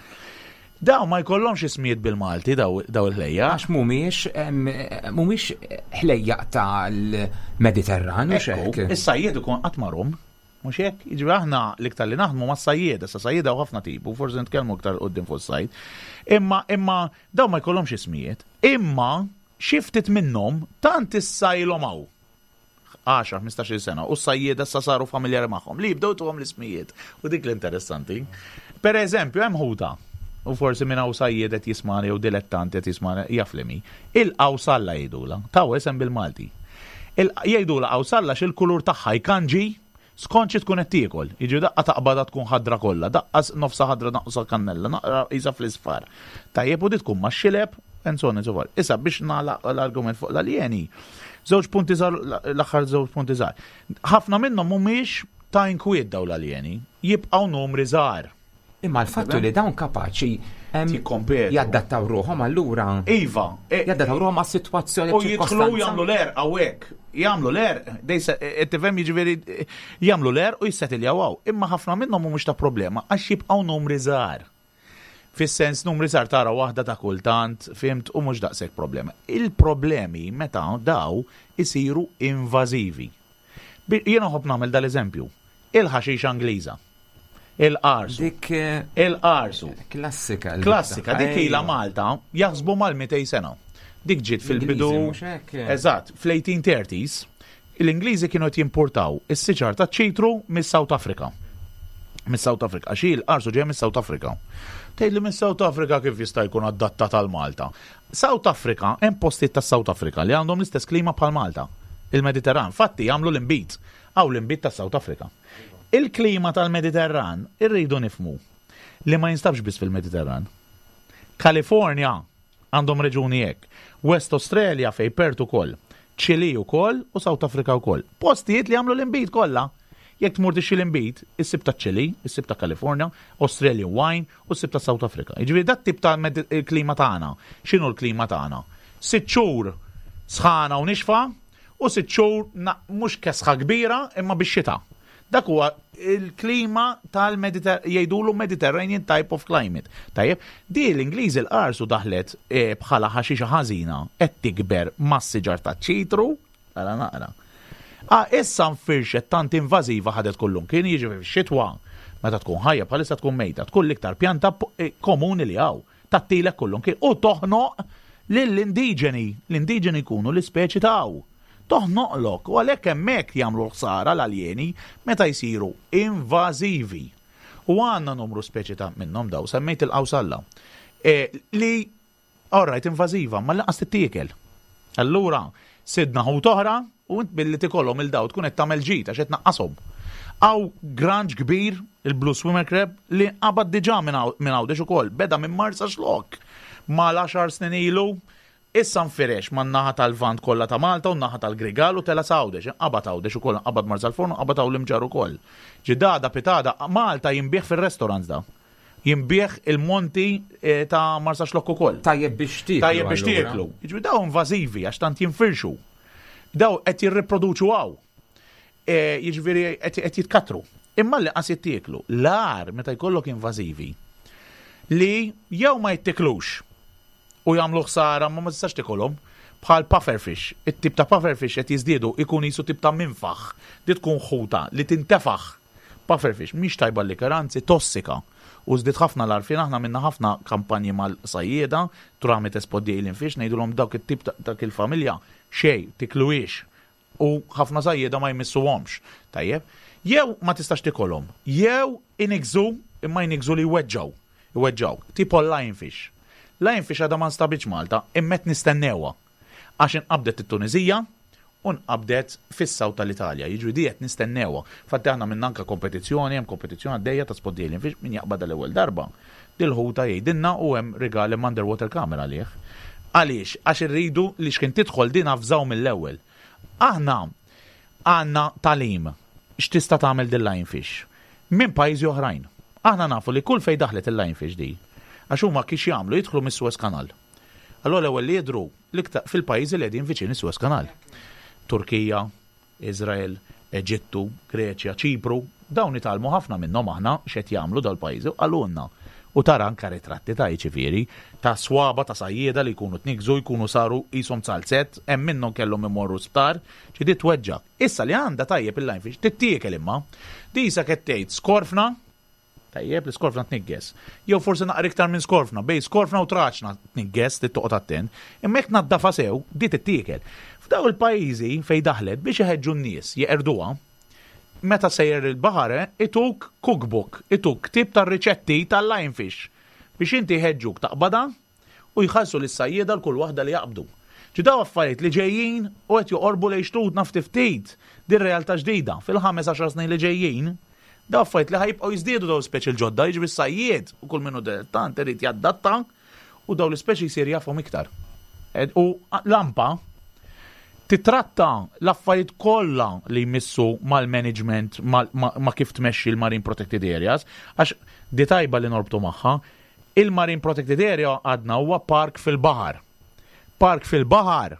Daw ma jkollhomx ismijiet bil-Malti daw daw il-ħlejja. Għax mhumiex em, mhumiex ħlejjaq tal-Mediterran u Ekku, xek. is-sajjied ikun qatt marhom. Mhux hekk, jiġifieri aħna l-iktar li naħdmu ma' sajjied, issa sajjieda u ħafna tipu, forsi nitkellmu iktar quddiem fuq is-sajd. Imma imma daw ma jkollhomx ismijiet. Imma xi ftit minnhom tant issa ilhom hawn għaxar, ħmistax-il sena, u s-sajjieda issa saru familjari magħhom li jibdew tuhom l-ismijiet. U dik l-interessanti. Per eżempju, hemm ħuta, u forsi minn hawn sajjied qed jismani jew dilettanti qed jismani jaf li mi. Il-qawsalla jgħidula, taw isem bil-Malti. Il- Jgħidula qawsalla x'il-kulur tagħha jkanġi Skont xi tkun qed tiekol. Jiġi daqqa taqbada tkun ħadra kollha, daqqa nofsa ħadra naqsa kannella, naqra isa fl-isfar. Tajjeb, u di tkun ma' xileb, and so on and so forth. Issa biex nagħlaq l-argument fuq l-aljeni. Żewġ punti żgħar, l-aħħar żewġ punti żgħar. Ħafna minnhom mhumiex ta' inkwiet daw l-aljeni, jibqgħu numri żgħar. Imma l-fattu li dawn kapaċi em, Jikkompetu. jaddattaw ruħhom allura. Iva, e- Jaddattaw ruħhom għas-sitwazzjoni. U jidħlu jagħmlu l-għerq hawnhekk. Jagħmlu l-għerq, dejsa tifhem, jiġifieri jagħmlu l-għerq u jissetiljaw hawn. Imma ħafna minnhom mhumiex ta' problema għax jibqgħu numri żgħar. Fis-sens numri żgħar, tara waħda ta' kultant, fhimt, u mhux daqshekk problema. Il-problemi meta daw isiru invażivi. Bi- Jiena nħobb nagħmel dal-eżempju. Il-ħaxixa Ingliża. Il-qarsu. Dik eh, Il-qarsu. Klassika. Klassika, dik ilha Ejwa. Malta jaħsbu mal-mitejn sena. Dik ġiet fil-bidu. Ingliżi, mhux hekk? Eżatt, fl-eighteen thirties l-Ingliżi kienu qed jimportaw is-siġar ta' ċitru mis-South Africa. Mis-South Africa, għax il-qarsu ġej mis-South Africa. Tgħid li mis-South Africa kif jista' jkun adattat għal Malta? South Africa, hemm postijiet ta' South Africa li għandhom l-istess klima bħal Malta. Il-Mediterran, fatti jagħmlu l-inbid, hawn l-inbid ta' South Africa. Il-klima tal-Mediterran irridu nifhmu li ma jinstabx biss fil-Mediterran. Kalifornja għandhom reġuni hekk. West Australia fej Perth ukoll. Chile ukoll u South Africa ukoll. Postijiet li għamlu l-inbid kollha. Jekk tmur tixtri l-inbid, issib ta' Chile, issib ta' California, Australian wine u ssib ta' South Africa. Jiġifieri dat tip ta' med- il-klima tagħna. X'inhu l-klima tagħna? Sitt xhur sħana u nixfa u sitt xhur na- mhux kesħa kbira imma bix-xita. Dak huwa il-klima tal-Mediter jgħidulu Mediterranean type of climate. Tajjeb, di l-Ingliżi l-qarsu daħlet eh, bħala ħaxixa ħażina qed tikber mas-siġar ta' ċitru, ara naqra. Ah, issa nfirxet tant invażiva, ħadet kullum. Kien jiġi fix-xitwa meta tkun ħajja, bħalissa tkun mejta, tkun l-iktar pjanta po- eh, komuni li hawn. Tattilek kullum kien u toħnoq lill-indiġeni. L-indiġeni jkunu l-ispeċi taw. Toħnoqlok u għalhekk hemmhekk jagħmlu ħsara l-aljeni meta jsiru invażivi. U għandna numru speċi ta' minnhom daw, semmejt il-qawsalla. E, li, alright, invażiva, ma lanqas tittiekel. Allura, sidna ħut oħra u int billi tikolhom il-daw tkun qed tagħmel ġid għax qed naqqashom. Hawn granċ kbir, il-Blue Swimmer Crab, li qabad diġà minn hawn- minn Għawdex ukoll, beda minn Marsaxlokk. Mal-għaxar snin ilu, issa nfirex man naħa tal-Lvant kollha ta' Malta u naħa tal-Grigal u tela' s'Għawdex, qabad Għawdex ukoll, qabad Marsalforn, qabad hawn l-Imġarr ukoll. Ġidada pitada, Malta jinbiegħ fil-restaurants da. Jinbiegħ il-monti eh, ta' Marsaxlokk ukoll. Tajjeb biex tieklu. Tajjeb biex allura. tieklu. Jiġifieri daw invażivi għax tant jinfirxu. Daw qed jirriproduċu hawn. E, Jiġifieri qed qed jitkatru. Imma li qas jittieklu. L-agħar meta jkollok invażivi li jew ma jittiklux u jagħmlu ħsara ma ma tistax tikolhom, bħal pufferfish. It-tip ta' pufferfish qed jiżdiedu, ikun jisu tip ta' minfaħ. Di tkun ħuta li tintefaħ. Pufferfish mhix tajba li, anzi tossika. U żdied ħafna l-għarfien, aħna minna ħafna kampanji mal-sajjieda tramite Spot the Alien Fish, ngħidulhom dawk it-tip ta' dak il-familja xejn tikluhiex u ħafna sajjieda ma jmissuhomx. Tajjeb, jew ma tistax tikolhom, jew inigżu, imma jinigżu li jweġġaw. Iweġġaw, tipo lionfish. Lionfish għadha ma nstabitx Malta, imma qed nistennewha. Għax inqabdet it-Tunizija u nqabdet fis-South tal-Italja. Jiġri di qed nistennewha. Fatti aħna minn anka kompetizzjoni, hemm kompetizzjoni għaddejja ta' Spot the Alien Fish, min jaqbad l-ewwel darba. Dil-ħuta jgħidilna u hemm rigali underwater camera għalih. Għaliex? Għax irridu li xkien tidħol din avżaw mill-ewwel. Aħna għandna tagħlim x'tista' tagħmel din lionfish minn pajjiżi oħrajn. Aħna nafu li kull fej daħlet il-lionfish di, għax huma kiex jagħmlu, jidħlu mis-Suez Canal. Allora l-ewwel li jidhru l-iktar fil-pajjiżi li qegħdin viċin is-Suez Canal. Turkija, Izrael, Eġittu, Greċja, Ċipru, dawn nitgħallmu ħafna minnhom aħna x'qed jagħmlu dal-pajjiżi u qalulna. U tara anka ritratti ta' ġifieri ta' swaba ta' sajjieda li jkunu tnigżu, jkunu saru qishom zalzett, hemm minnhom kellhom imorru sptar, ġi di tweġġa. Issa li għandha tajjeb il-lionfish tittiekel, imma di sa qed tgħid skorfna. Tajjeb, li skorfna tnigges. Jew forsi naqra iktar minn skorfna, bej skorfna u traċna tnigges, li toqgħod attent. Imma jekk naddafa sew, di tittiekel. F'daw il-pajjiżi fej daħlet, biex iħeġġu n-nies jeqerduha, meta sejjer il-baħar ituk cookbook, ituk tip ta' riċetti tal-lionfish biex inti jħeġġuk taqbada u jħallsu lis-sajjieda l kull waħda li jaqbdu. Ġi daw affarijiet li ġejjin u qed joqorbu lejn xtutna ftit ftit. Din realtà ġdida fil-ħames għaxar snin li ġejjin. Daw affarijiet li ħa jibqgħu jiżdiedu, daw speċi l-ġodda, jiġri s-sajjied u kull minnu dilettant irid jaddatta u daw l-ispeċi jsir jafhom iktar. Ed- U l-A M P A titratta l-affarijiet kollha li jmissu mal-management, mal, ma, ma kif tmexxi l-Marine Protected Areas, għax di tajba li norbtu magħha, il-Marine Protected Area għadna huwa park fil-baħar. Park fil-baħar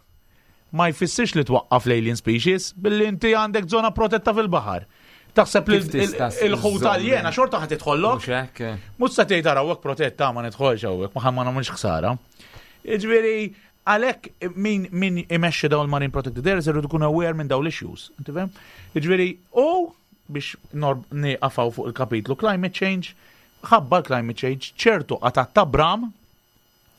ma jfissirx li twaqqaf l-alien species billi inti għandek zona protetta fil-baħar. Taħseb li Kif tista' il-ħut żżomm- aljena xorta ħa tidħollok? Mhux hekk? Mhux sa tgħid, "Ara, hawnhekk protetta, ma nidħolx hawnhekk, ma ma nagħmilx ħsara." Jiġifieri għalhekk min min imexxi dawn il-Marine Protected Areas irid ikun aware minn dawn l-issues. Inti fhem? Jiġifieri u biex norb nieqafaw fuq il-kapitlu climate change, ħabba l-climate change ċertu qatat ta' bram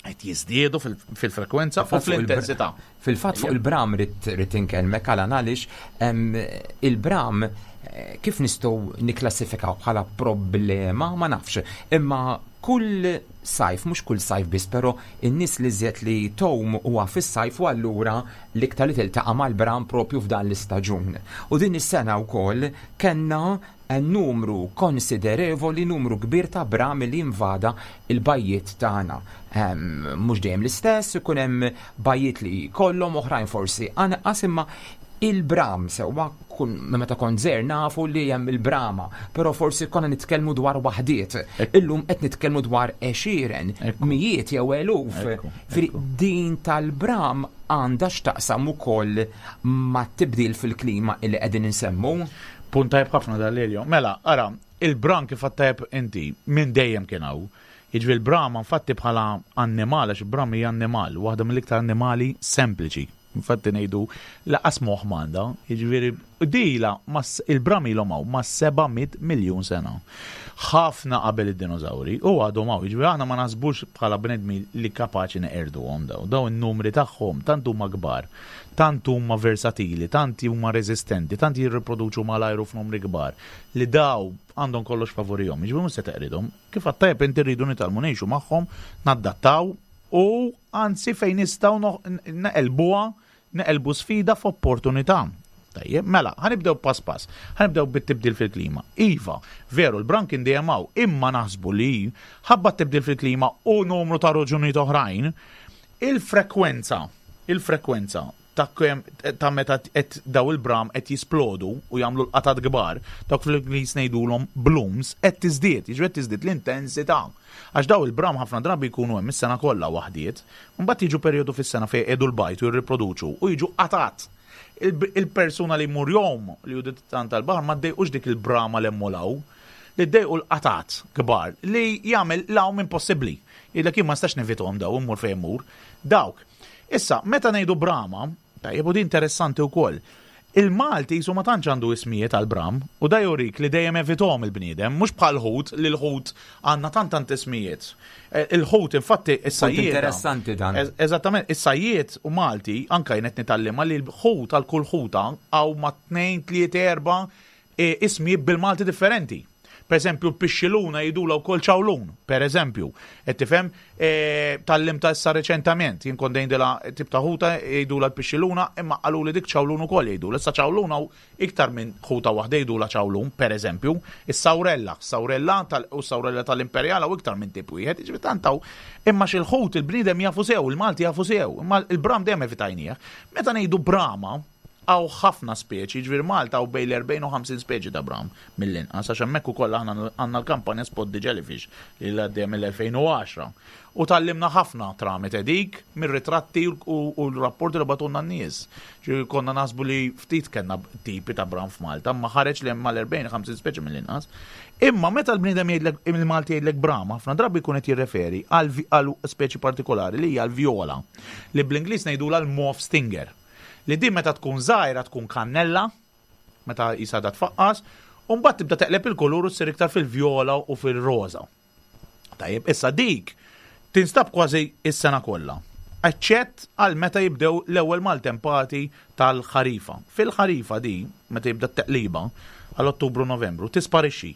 qed jiżdiedu fil- fil-frekwenza u Fil-fatt fuq il- fl-intensità. Fil-fatt fuq il-bram rrid rrid inkellmek għal għaliex em, il-bram eh, kif nistgħu nikklassifikaw bħala problema ma nafx. Imma kull sajf, mhux kull sajf biss, però in-nies li żjed li tgħum huwa fis-sajf u allura l-iktar li tiltaqa' mal-bram propju f'dan l-istaġun. U din is-sena wkoll kellna eh, numru konsiderevoli, numru kbir ta' bram li invada il-bajjiet tagħna. Em, Mhux dejjem l-istess, ikun hemm bajjiet li kollhom, oħrajn forsi anqas, imma il-bram sewwa kun meta kont żgħir nafu li hemm il-brama, però forsi konna nitkellmu dwar waħdiet. Ekku. Illum qed nitkellmu dwar għexieren, Ekku. mijiet jew eluf. Ekku, Fri ekku. din tal-bram għandha x'taqsam ukoll ma' tibdil fil-klima illi qegħdin insemmu. Punt tajb ħafna dal-Elio. Mela, ara, il-bram, kif tajb inti, minn dejjem kien hawn. Jiġifieri l-bram infatti bħala annimal, għax il-bram hija annimal, waħda mill-iktar annimali sempliċi. Infatti ngħidu lanqas moħħ m'għandha, jiġifieri dila mas- il-bram ilhom hawn ma' seba' mitt miljun sena. Ħafna qabel id-dinożawri u għadhom hawn, jiġifieri aħna ma naħsbux bħala bnedmi li kapaċi neqerduhom daw. Daw in-numri tagħhom tant huma kbar, tant huma versatili, tant huma resistenti, tant jirriproduċu mal-ajru f'numri kbar li daw għandhom kollox favorihom. Jiġifieri mhux se teqridhom. Kif għat-tajb inti, rridu nitgħallmu ngħixu magħhom, naddattaw u anzi fejn nistgħu neqelbuha, neqelbu sfida f'opportunità. Tajjeb, mela, ħa nibdew pass pass, ħa nibdew bit-tibdil fil-klima. Iva, veru, l-bram kien dejjem hawn, imma naħsbu li ħabba tibdil fil-klima u numru ta' raġunijiet oħrajn, il-frekwenza, il-frekwenza ta' kem, ta' meta qed daw il-bram qed jisplodu u jagħmlu l-qatat kbar, dawk fl-Ingliż ngħidulhom blooms, qed tiżdied, jiġri qed tiżdied l-intensità. Għax daw il-bram ħafna drabi jkunu hemm is-sena kollha waħdiet, mbagħad jiġu perjodu fis-sena fejn jqiegħdu l-bajd u jirriproduċu u jiġu qatat. Il- Il-persuna li jmur jgħum, li hu tant tal-baħar, ma ddejqux dik il-brama l hawn, li ddejqu l-qatat kbar li jagħmel l-għawm impossibbli. Jgħidlek, "Jien ma nistax nevitahom daw, immur fejn immur." Dawk. Issa, meta ngħidu brama, tajjeb, u di interessanti wkoll. Il-Malti jisu ma tantx għandu ismijiet għal-bram u da jurik li dejjem evitahom il-bniedem, mhux bħal ħut, li l-ħut għandna tant tant ismijiet. Eh, Il-ħut infatti is-sajjied. Interessanti dan. Ez- Eżattament, is-sajjied u Malti anka jien qed nitgħallem li l-ħut għal kull ħuta hawn ma tnejn, tliet, erba' e, ismijiet bil-Malti differenti. Per eżempju, l-pixxiluna jgħidulha wkoll ċawlun, per eżempju. Et tifhem, e, tgħallimtha issa reċentament, jien kont ngħidilha tip ta' ħuta jgħidulha l-pixxiluna, imma qalu li dik ċawlun ukoll jgħidulha. Issa ċawlun hawn iktar minn ħuta waħda jgħidulha ċawlun, per eżempju. Is-sawrella, sawrella tal u sawrella tal-imperjala u iktar minn tip wieħed, jiġifieri tant hawn. Imma xil-ħut il-bniedem jafu sew, il-Malti jafu sew, imma il-bram dejjem evitajnieh. Meta ngħidu brama, hawn ħafna speċi, ġifieri Malta hawn bejn l-erbgħin u ħamsin speċi ta' bram mill-inqas, għax hemmhekk ukoll aħna għandna l-kampanja Spot the Jellyfish li għaddejja mill-elfejn u għaxra. U tgħallimna ħafna tramite dik mir-ritratti u u l-rapporti li bagħtulna n-nies. Ġifieri konna naħsbu li ftit kellna tipi ta' bram f'Malta, ma ħareġ li hemm mal-erbgħin ħamsin speċi mill-inqas. Imma meta l-bniedem jgħidlek, il-Malti jgħidlek bram, ħafna drabi jkun qed jirreferi għal vi- għal speċi partikolari li hija l-vjola, li bl-Ingliż ngħidulha l-mauve stinger. Li din meta tkun żgħira tkun kannella, meta jisada tfaqqas, u mbagħad tibda teqleb il-kulur u ssir iktar fil-vjola u fil-roża. Tajjeb, issa dik tinstab kważi is-sena kollha. Eċċett għal meta jibdew l-ewwel maltempati tal-ħarifa. Fil-ħarifa di, meta jibda t-teqliba, għal Ottubru Novembru, tisparixxi.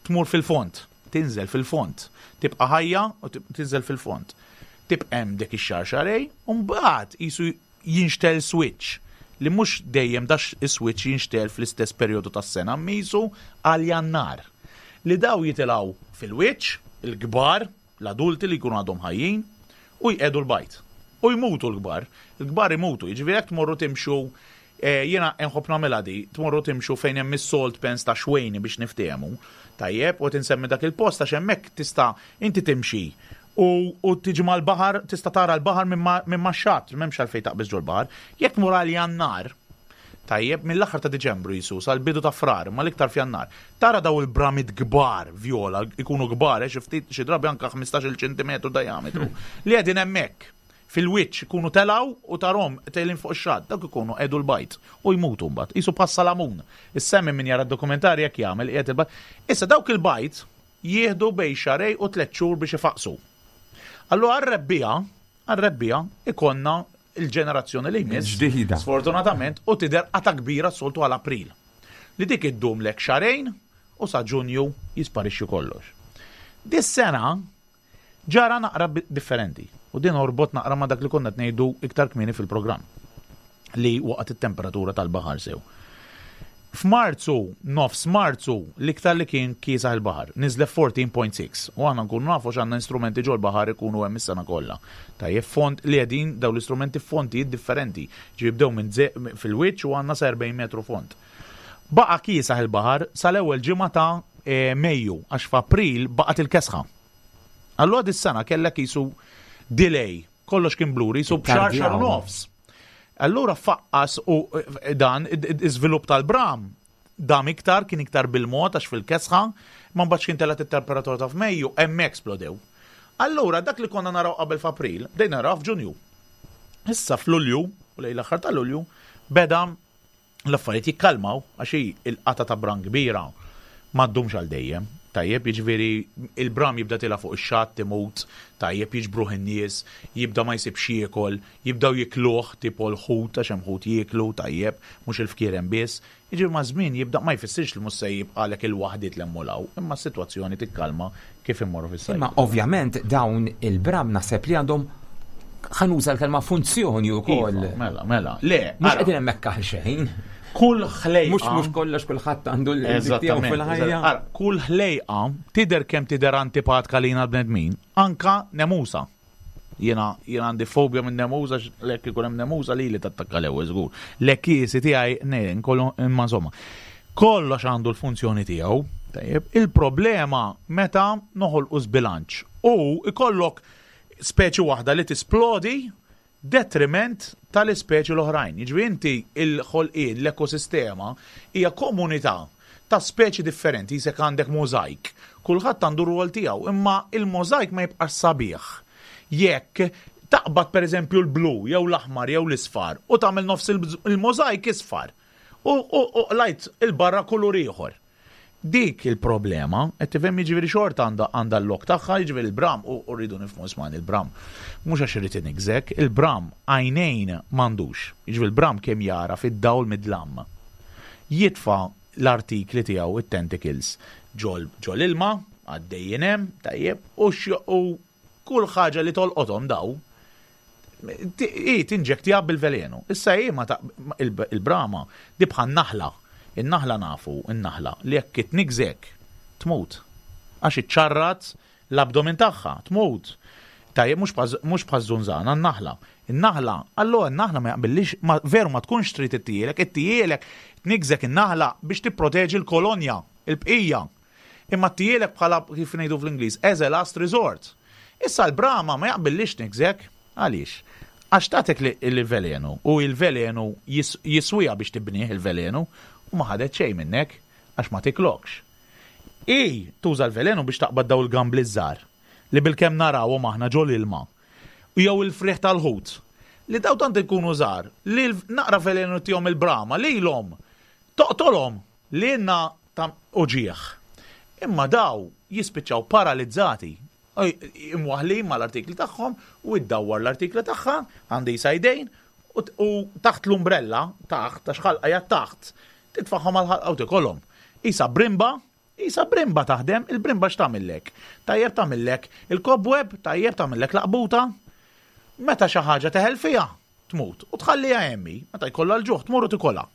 Tmur fil-font, tinżel fil-font, tibqa' ħajja u tib- tinżel fil-font. Tibqa' hemm dik ix-xahar xahrejn, u mbagħad jisu Jinxtegħel switch li mhux dejjem dax is-switch jinxtegħel fl-istess perjodu tas-sena, misu għal Jannar. Li daw jitilgħu fil-wiċċ, il-kbar, l-adulti li jkunu għadhom ħajjin, u jqiegħdu l-bajd. U jmutu l-kbar. Il-kbar imutu, jiġifieri jekk tmorru timxu, eh, jiena nħobb nagħmilha di, tmorru timxu fejn hemm is-salt pans ta' Xwejni biex niftehmu. Tajjeb, u tinsemmi dak il-post għax hemmhekk tista' inti timxi u, u tiġi mal-baħar, tista' tara l-baħar minn ma- minn max-xatt, m'hemmx għalfejn taqbeż ġol-baħar. Jekk tmur għal Jannar, tajjeb, mill-aħħar ta' Diċembru jisu, sal-bidu ta' Frar, ma l-iktar f'Jannar. Tara daw il-bramit kbar, viola, ikunu kbar, eh, xi ftit xi drabi anka ħmistax-il ċentimetru diametru, li qegħdin hemmhekk fil-wiċċ ikunu telaw u tarahom telgħin fuq ix-xatt, dak ikunu qiegħdu l-bajd u jmutu mbagħad. Isu bħas-salamun. Is-semmi min jara d-dokumentarji jekk jagħmel qiegħed il-bajd. Issa dawk il-bajd jieħdu bejn xahrejn u tliet xhur biex ifaqsu. Allura għar-rebbiegħa, għar-rebbiegħa ikonna il-ġenerazzjoni li jmiss. Ġdida. Sfortunatament, u tidher qata kbira soltu għal April. Li dik iddum lek xahrejn u sa Ġunju jisparixxu kollox. Dis-sena ġara naqra bi- differenti. U din orbot naqra ma dak li konna ngħidu iktar kmieni fil-programm li waqgħet it-temperatura tal-baħar sew. F'Marzu, nofs Marzu, l-iktar li kien kiesaħ il-baħar, niżlet erbatax punt sitta. U aħna nkunu nafu x'għandna instrumenti ġol baħar ikunu hemm is-sena kollha. Tajjeb, font li qegħdin daw l-istrumenti fontijiet differenti. Ġi jibdew minn ze- fil-wiċċ u għandna sa erbgħin metru font. Baqa kiesaħ il-baħar sal-ewwel ġimgħa ta' eh, Mejju, għax f'April baqgħet il-kesħa. Allura dis-sena kellek jisu delay, kollox kien bluri, jisu b'xahar xahar u nofs. Allura faqqas u eh, dan iżvilupp tal-bram dam iktar, kien iktar bil-mod għax fil-kesħa, ma mbagħadx kien telgħet it-temperatura ta' f'Mejju, hemmhekk splodew. Allura dak li konna naraw qabel f'April, bdejna naraw f'Ġunju. Issa f'Lulju, u lejn l-aħħar ta' Lulju, beda l-affarijiet jikkalmaw għax hi il-qata ta' bram kbira ma ddumx għal dejjem. Tajjeb, jiġifieri il-bram jibda tila fuq ix-xatt imut, tajjeb, jiġbruh in-nies, jibda ma jsibx jiekol, jibdaw jikluh tipo l-ħut għax hemm ħut jieklu, tajjeb, mhux il-fkierem biss. Jiġifieri ma' żmien jibda ma jfissirx li mhux se jibqalek il-waħdiet l-emmulaw, imma s-sitwazzjoni tikkalma kif immorru fis-sajf. Imma ovvjament dawn il-bram naħseb li għandhom, ħa nuża l-kelma, funzjoni wkoll. Iva, mela, mela. Le, Mhux ara, qegħdin hemmhekk għal xejn. Kull ħlejqa. Mhux mhux kollox kulħadd għandu l-tiegħu Eżattament. fil-ħajja. Eżatt. Ara, kull ħlejqa tidher kemm tidher antipatka lina l-bnedmin, anka nemusa. Jiena jiena għandi fobja minn nemusa, lek ikun hemm nemusa li li tattakka l-ewwel żgur. L-ekkiesi tiegħi ne nkollu, imma insomma. Kollox għandu l-funzjoni tiegħu. Tajjeb, il-problema meta noħolqu żbilanċ u ikollok speċi waħda li tisplodi detriment tal-ispeċi l-oħrajn. Jiġifieri inti il-ħolqien, l-ekosistema hija komunità ta' speċi differenti, jisek għandek mozaik. Kulħadd għandu rwol tiegħu, imma il-mozaik ma jibqax sabiħ. Jekk taqbad per eżempju l-blu, jew l-aħmar, jew l-isfar, u tagħmel nofs il-mozaik isfar. U, u, u lajt il-barra kulur ieħor. Dik il-problema, qed tifhem, jiġifieri xorta għandha għandha l-lok tagħha, jiġifieri il-bram, u u rridu nifhmu isman il-bram. Mhux għax irid inigżek, il-bram għajnejn m'għandux. Jiġifieri il-bram kemm jara fid-dawl midlam. Jitfa' l-artikli tiegħu, it-tentacles, ġol ġol ilma, għaddejjin hemm, tajjeb, u xo- u kull ħaġa li tolqothom daw i tinġektija bil-velenu. Issa hi ma ta' il- il-brama di bħal naħla. In-naħla nafu, in-naħla li jekk itnigżek tmut. Għax iċċarrat l-abdomen tagħha, tmut. Tajjeb, mhux bħaz- mhux bħal żunżana, n-naħla. In-naħla, allora n-naħla ma jaqbillix, ma veru ma tkunx trid ittielek, ittielek tnigżek in-naħla biex tipproteġi l-kolonja, il-bqija. Imma ttielek bħala, kif ngħidu fl-Ingliż, as a last resort. Issa l-brama ma jaqbillix nigżek, għaliex? Għax tatek li il-velenu u il-velenu jis- jiswija biex tibnih il-velenu u ma ħadet xejn minnek għax ma tiklokx. I tuża l-velenu biex taqbad daw il-gambli żgħar li bil-kemm narawhom aħna ġol ilma. U jew il-friħ tal-ħut li daw tant ikunu żgħar li l- naqra velenu tihom il-brama lilhom toqtolhom li jenna ta' uġieħ. Imma daw jispiċċaw paralizzati, Oj, imwaħlin mal-artikli tagħhom u iddawwar l-artikli tagħha għandi sajdejn u t- u taħt l-umbrella, taħt, għax ħalqa hija taħt, titfaħħom għal ħalqa u tikolhom. Isa brimba, isa brimba taħdem, il-brimba x'tagħmillek? Tajjeb, tagħmillek il-cobweb, tajjeb, tagħmillek laqbuta. Meta xi ħaġa teħel fiha, tmut. U tħalliha hemm, meta jkollha l-ġuħ tmur u tikolha.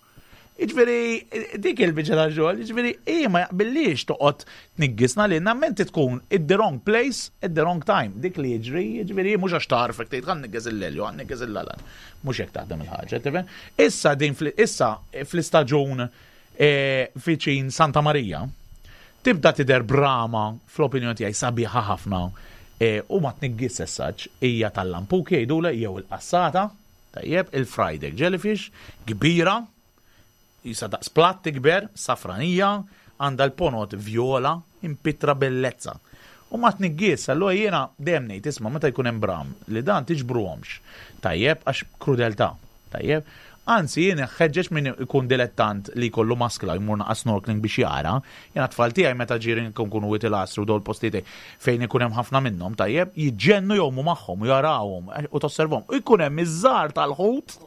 Jiġifieri, dik il-biċċa ta' xogħol, jiġifieri, hi ma jaqbillix toqgħod tniggisna li menti tkun in the wrong place at the wrong time. Dik li jiġri, jiġifieri, mhux għax tarfek tgħid ħa nniggez il-Lelju, ħa nniggez il-Alan. Mhux hekk taħdem il-ħaġa, tifhem? Issa din issa fl-istaġun eh, viċin Santa Maria, tibda tidher brama fl-opinjoni tiegħi sabiħa ħafna eh, u ma tniggis essaġ hija tal-lampuki jgħidula jew il-qassata, tajjeb, il-fried egg jellyfish, kbira, jisa daqs platt tikber, safranija, għandha l-ponot viola, impitra bellezza. U ma tniggis, allura jiena dejjem ngħid isma' meta jkun hemm bram li dan tiġbruhomx. Tajjeb, għax krudeltà. Tajjeb. Anzi, jien ħeġġeġ min ikun dilettant li jkollu maskla jmur naqa snorkeling biex jara. Jiena tfal tiegħi meta ġirin kunu Wied il-Għasri u dawl postijiet fejn ikun hemm ħafna minnhom, tajjeb, jiġġennu jgħumu magħhom u jarawhom u tosservhom. U jkun hemm iż-żgħar tal-ħut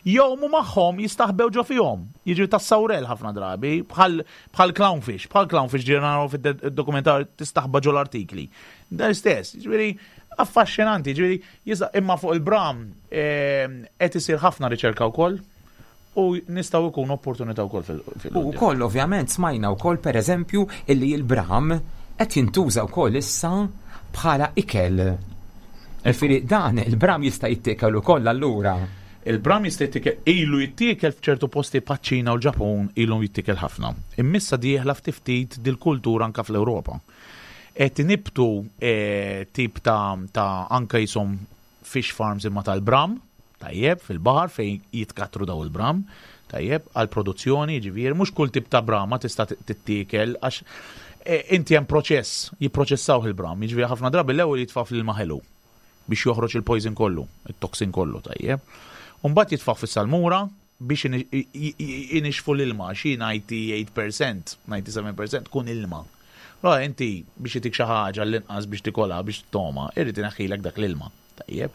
jgħumu magħhom jistaħbew ġo fihom. Jiġu tas-sawrel ħafna drabi, bħal bħal clownfish, bħal clownfish ġiri naraw fid-dokumentar tistaħba ġo l-artikli. Dan istess, ġifieri affaxxinanti, ġifieri jisa imma fuq il-bram qed isir ħafna riċerka wkoll u nistgħu jkun opportunità wkoll fil- fil U wkoll ovvjament smajna wkoll pereżempju illi l-bram qed jintuża wkoll issa bħala ikel. Ġifieri dan il-bram jista' jittiekel ukoll allura. Il-bram jista' jittikel ilu jittiekel f'ċertu posti paċ-Ċina u l-Ġapun ilu jittikel ħafna. Immissa dieħla ftit ftit dil-kultura anka fl-Ewropa. Qed nibtu eh, tip ta', ta' anka jisom fish farms imma tal-bram, tajjeb, fil-baħar fejn jitkatru daw il-bram, tajjeb, għal produzzjoni, ġifieri, mhux kull tip ta' brama tista' tittiekel għax eh, inti hemm proċess, jipproċessaw il-bram, jiġifieri ħafna drabi l-ewwel jitfa' fl-ilma ħelu biex joħroġ il-poison kollu, il-toxin kollu, tajjeb. Umbagħad jitfa' fis-salmura biex inixfu l-ilma, xi disgħa u tmenin fil-mija, disgħa u sebgħin fil-mija tkun ilma. Allora inti biex itik xi ħaġa l-inqas biex tikolha biex toma, irrid ineħħilek dak l-ilma. Tajjeb.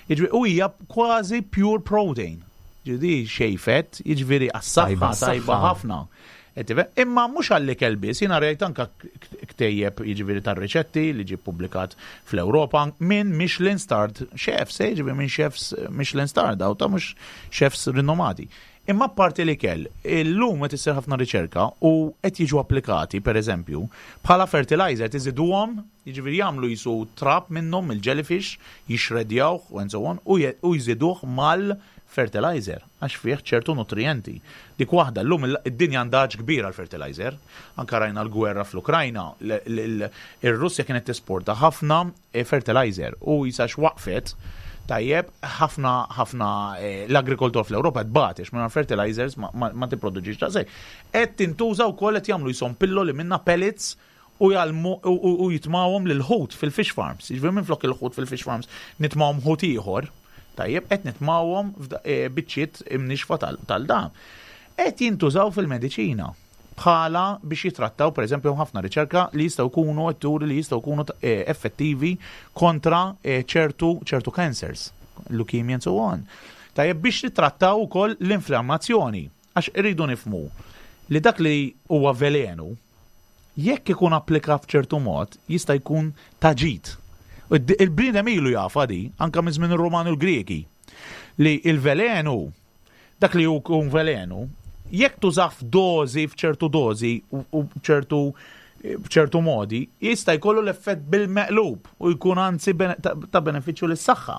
Jiġifieri u hija kważi pure protein. Ġifieri xejfet, jiġifieri għas-saħħa tajba ħafna. Imma mhux għall-ikel biss, jiena rajt anka ktejjeb jiġifieri tar-riċetti li ġie publikat fl-Ewropa minn Michelin starred chefs, eh, jiġifieri minn chefs Michelin starred, daw ta' mhux chefs rinomati. Imma parti li kell, illum qed issir ħafna riċerka u qed jiġu applikati, per eżempju, bħala fertilizer tiżiduhom, jiġifieri jagħmlu jisu trab minnhom il-jellyfish, jixredjawh and so on, u jżiduh mal-fertilizer għax fih ċertu nutrienti. Dik waħda, llum id-dinja għandha kbira l-fertilizer. Anka rajna l-gwerra fl-Ukrajna, ir-Russja kienet tesporta ħafna fertilizer u jisax waqfet. Tajjeb, ħafna ħafna eh, l-agrikoltur fl-Ewropa tbati minn fertilizers ma, ma, ma tipproduċix ta' sej. Qed tintuża wkoll qed jagħmlu jisom pilloli minna pellets u jalmu u jitmawhom lil ħut fil-fish farms. Jiġifieri minn flok il-ħut fil-fish farms nitmawhom ħut ieħor, tajjeb, qed nitmawhom eh, biċċiet imnixfa tal-dam. Qed jintużaw fil-mediċina bħala biex jitrattaw, per eżempju, ħafna riċerka li jistgħu jkunu turi li jistgħu jkunu eh, effettivi kontra eh, ċertu ċertu cancers, leukemia and so on. Tajjeb biex jitrattaw ukoll l-inflammazzjoni, għax irridu nifmu li dak li huwa velenu, jekk ikun applikat f'ċertu mod, jista' jkun ta' ġid. Il-bniedem ilu jafa di, anka minn żmien ir-Romani u l-Greki, li il-velenu, dak li jkun velenu, jekk tużah f'dozi, f'ċertu dozi u ċertu b'ċertu modi, jista' jkollu l-effett bil-meqlub u jkun anzi ta' benefiċċju lis-saħħa.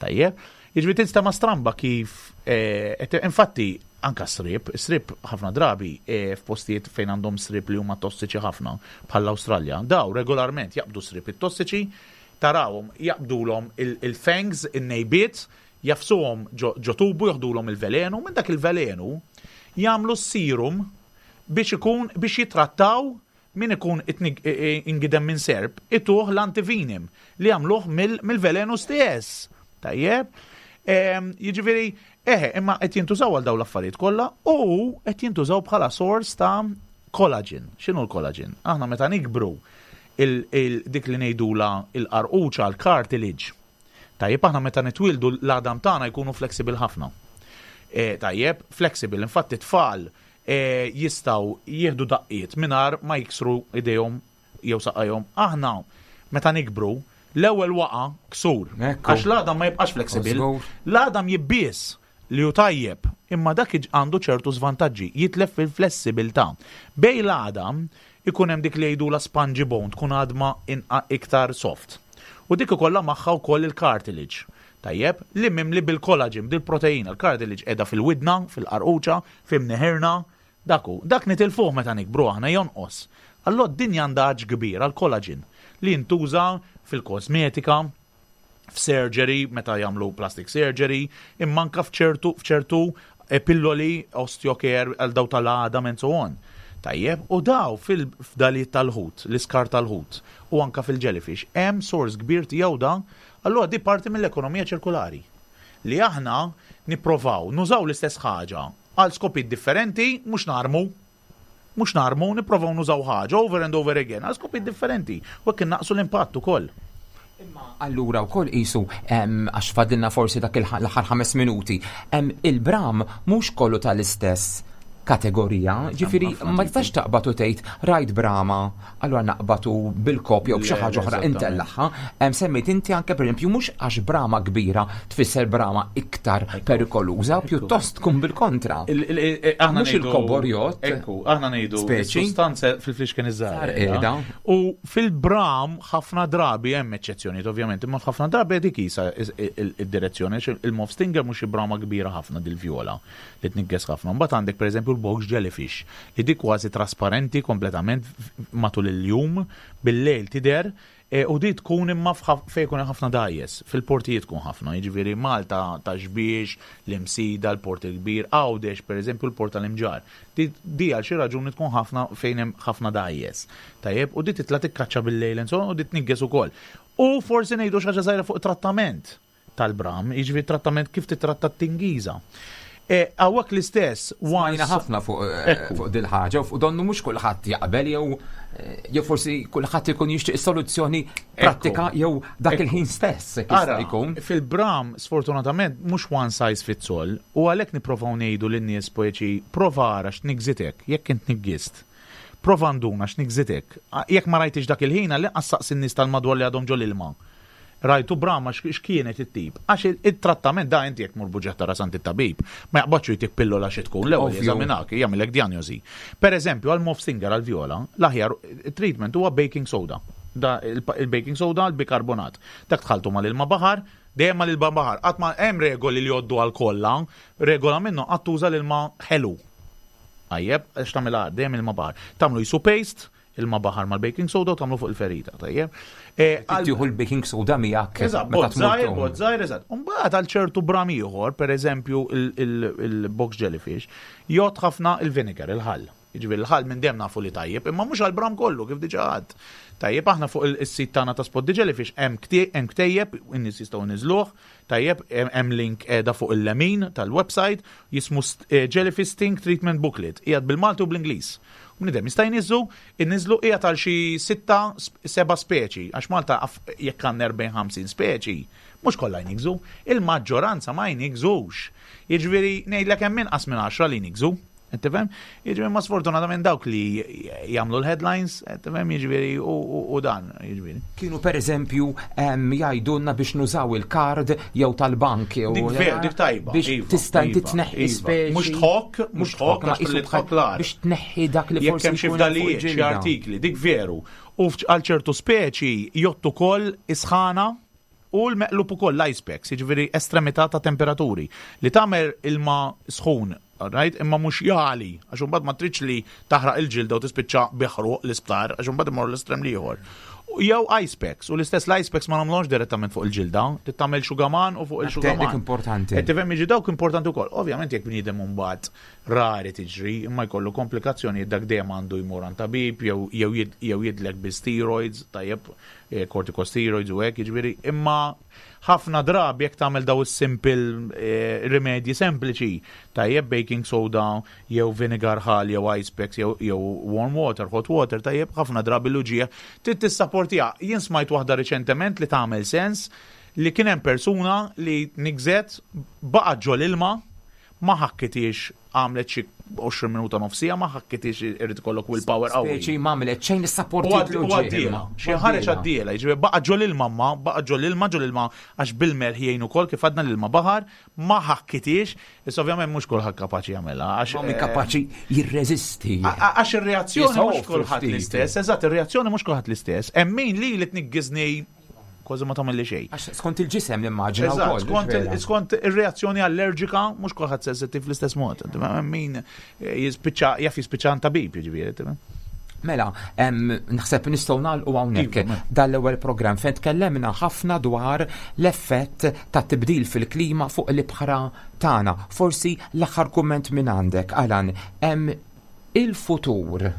Tajjeb, jiġifieri tista' ma stramba kif eh, infatti anka srib, srib ħafna drabi eh, f'postijiet fejn għandhom srib li huma tossiċi ħafna bħall-Awstralja, daw regolarment jaqbdu srib it-tossiċi, tarawhom jaqbdulhom il-fangs, in-nejbiet, jafsuhom ġo tubu, joħdulhom il-velenu, minn dak il-velenu jagħmlu serum biex ikun biex jitrattaw min ikun ingidem minn serp, ituh l-antivenom li jagħmluh mill-velenu stess. Tajjeb, jiġifieri, eħe, imma qed jintużaw għal dawn l-affarijiet kollha u qed jintużaw bħala source ta' collagen. X'inhu l-collagen? Aħna meta nikbru dik li ngħidula il-qarquċa l-cartilage. Tajjeb, aħna meta nitwildu l-għadam tagħna jkunu flexible ħafna. E, tajjeb, flexible, infatti tfal e, jistgħu jieħdu daqqiet mingħajr ma jiksru idejhom jew saqajhom. Aħna meta nikbru L-ewwel waqa ksur. Ekku. Għax l-għadam ma jibqax flexible. Żgur. L-għadam jibbies li hu tajjeb, imma dak iġ- għandu ċertu svantaġġi, jitlef fil-flessibilità. Bejn l-għadam ikun hemm dik li jgħidu la spongy bone, tkun għadma inqa iktar soft. U dik ikollha magħha wkoll il-cartilage. Tajjeb, li mimli bil-collagen, bil-proteina. Il-cartilage qiegħda fil-widna, fil-qarquċa, f'imneħirna, daku. Dak nitilfuh meta nikbru aħna, jonqos. Allora d-dinja għandha għatx kbir għal-collagen li jintuża fil-kosmetika, f'surgery, meta jagħmlu plastic surgery, imma anka f'ċertu f'ċertu eh, pilloli osteocare għal daw tal-għadam and so on. Tajjeb, u daw fil-fdalijiet tal-ħut, l-iskar tal-ħut, u anka fil-jellyfish, hemm source kbir tiegħu dan, allura di parti mill-ekonomija ċirkulari. Li aħna nipprovaw nużaw l-istess ħaġa għal skopijiet differenti, mhux narmu, mhux narmu, nipprovaw nużaw ħaġa over and over again għal skopijiet differenti, u hekk innaqsu l-impatt ukoll. Imma allura wkoll qisu em, għax fadilna forsi dak il- l-aħħar ħames minuti, em, il-bram mhux kollu tal-istess kategorija, ġifieri ħafna ma tipi. tistax taqbad u tgħid rajt brama, allura naqbatu bil-kopja u b'xi Le, ħaġa oħra eżattament. intellaħħa. Em, Semmejt inti anke pereżempju mhux għax brama kbira tfisser brama iktar perikoluża, pjuttost tkun bil-kontra. Il- il- il- Aħna Mhux ngħidu- il-kobor jgħodd. Ekku, aħna ngħidu Speċi. Sostanza fil-flixken iż-żgħar. Qiegħda. U fil-bram ħafna drabi hemm eċċezzjonijiet ovvjament, imma ħafna drabi dik isa id-direzzjoni għax il-mauve stinger mhux xi brama kbira ħafna dil-vjola li tnigges ħafna. Mbagħad għandek pereżempju l-box jellyfish li dik kważi trasparenti kompletament matul il-jum, bil-lejl tidher e, u di tkun imma f'ħaf- fejn ikun hemm ħafna dgħajjes, fil-portijiet tkun ħafna, jiġifieri Malta ta' Xbiex, l-Imsida, l-Port il-Kbir, Għawdex, pereżempju l-Port tal-Imġar. Di, di għal xi raġuni tkun ħafna fejn hemm ħafna dgħajjes. Tajjeb, u di titla' tikkaċċa bil-lejl and so on, u di tnigges ukoll. U forsi ngħidu xi ħaġa żgħira fuq trattament tal-bram, jiġifieri trattament kif titratta t-tingiża. E, Hawnhekk l-istess, Smajna once ħafna fuq eh, Ekku. fuq dil-ħaġa u fuq donnu mhux kulħadd jaqbel jew eh, jew forsi kulħadd ikun jixtieq soluzzjoni prattika jew dak Ekku. il-ħin stess jekk jista' Ara, jkun. fil-bram, sfortunatament, mhux one size fits all, u għalhekk nipprovaw ngħidu lin-nies poeċi, prova ara x'nigżitek, jekk int niggist. Prova nduna x'nigżitek. Jekk ma rajtix dak il-ħin, għalli saqsi n-nies tal-madwar li għadhom ġol ilma. Rajtu brama x'kienet it-tip. Għax il- il-trattament da inti jekk mur buġġetta tara sant it-tabib, ma jaqbadx jtik pillola xi tkun, l-ewwel Ovvju. jeżaminak, jagħmilek diagnosi. Per eżempju, għal mauve stinger għal viola, l-aħjar treatment huwa baking soda. Da il- il-baking soda, il-bikarbonat. Dak tħaltu mal-ilma baħar, dejjem mal-ilma baħar. Qatt ma hemm regoli li jgħoddu għal kollha, regola minnhom qatt tuża l-ilma ħelu. Tajjeb, għax tagħmilha dejjem ilma baħar. Tagħmlu jisu paste, ilma baħar mal-baking soda u tagħmlu fuq il-ferita, tajjeb. E, għal- Tieħu l-baking soda miegħek Eżatt, meta bot tmur żgħir, tgħum. bot żgħir, eżatt. Mbagħad għal ċertu bram ieħor, pereżempju il-box jellyfish, jgħod ħafna il-vinegar, il-ħall. Jiġifieri il-ħall minn dejjem nafu li tajjeb, imma mhux għal-bram kollu kif diġà għad. Tajjeb, aħna fuq il-sit tagħna ta' Spot the Jellyfish hemm ktie- hemm ktejjeb, in-nies jistgħu niżluh, tajjeb, hemm hemm link qiegħda fuq il-lemin tal-website jismu st- eh, Jellyfish Sting Treatment Booklet, qiegħed bil-Malti u bl-Ingliż. Bniedem jista' jniżżu, inniżlu qiegħed għal xi sitta, seba' speċi, għax Malta af- jekk għandna erbgħin ħamsin speċi, mhux kollha jnigżu, il-maġġoranza ma jnigżux. Jiġifieri ngħidlek hemm inqas minn għaxra li jnigżu. Tifhem? Jiġifieri ma sfortunatament dawk li jagħmlu l-headlines, tifhem, jiġifieri u, u, u dan, jiġifieri. Kienu per eżempju em, jgħidulna biex nużaw il-kard jew tal-bank jew Dik ver, dik tajba. Biex iva, tista' inti iva, tneħħi iva. speċi. Mhux tħokk, mhux tħokk, ma għax qisu li tħokk l-ar. biex tneħħi dak li Jekk forsi hemm xi jkun hemm fuq fdalijiet, xi il-ġilda. artikli, dik veru. U f'ċ- għal ċertu speċi jgħottu ukoll is-sħana u l-meqlub ukoll l-ice packs, jiġifieri estremità ta' temperaturi. Li tagħmel ilma sħun, right? Imma mhux jagħli, għax imbagħad ma tridx li taħraq il-ġilda u tispiċċa biħruq l-isptar, għax imbagħad imorru l-estrem l-ieħor. U jew ice packs, u l-istess l-ice packs ma nagħmluhomx direttament fuq il-ġilda, trid tagħmel xugaman u fuq il-xugaman. Dik importanti. Qed tifhem, jiġi dawk importanti wkoll. Ovvjament jekk bniedem mbagħad rari tiġri, imma jkollu komplikazzjoni, dak dejjem għandu jmur għand tabib jew jew jid- jew jidlek bi steroids, tajjeb, eh, corticosteroids u hekk, jiġifieri, imma ħafna drabi jekk tagħmel daw is-simple eh, rimedji sempliċi, tajjeb, baking soda jew vinegar ħal jew ice packs jew jew warm water, hot water, tajjeb, ħafna drabi l-uġigħ trid tissapportiha. Jien smajt waħda riċentement li tagħmel sens li kien hemm persuna li nigżet, baqgħet ġol ilma, Ma ħakkitix, għamlet xi għoxrin minuta, nofsija, ma ħakkitix, irid ikollok willpower qawwi. Speċi m'għamlet xejn, U is-sapportit għad- u għaddiela, xi ħareġ għaddiela, jiġifieri baqa' ġol ilma ma, baqa' ġol ilma, ġol ilma għax bil-melħ jgħin ukoll, kif għadna, l-ilma baħar, ma ħakkitix, issa ovvjament mhux kulħadd kapaċi jagħmilha għax Ma min kapaċi jirreżisti. A- a- Għax ir-reazzjoni mhux Jisofru kulħadd ftit. l-istess, eżatt, ir-reazzjoni mhux kulħadd l-istess. Hemm min li li tniggiżni kważi ma tagħmel li xejn. Għax skont il-ġisem nimmaġina Eżatt, wkoll. skont il- vera. skont ir-reazzjoni allerġika, mhux kulħadd sensittiv fl-istess mod. Hemm min eh, jispiċċa, jaf jispiċċa għand tabib, jiġifieri. Tifhem? Mela, em, naħseb nistgħu nagħlqu hawnhekk Iva, mela. dal-ewwel programm fejn tkellemna ħafna dwar l-effett ta' tibdil fil-klima fuq l-ibħra tagħna. Forsi l-aħħar kumment minn għandek, Alan, hemm il-futur,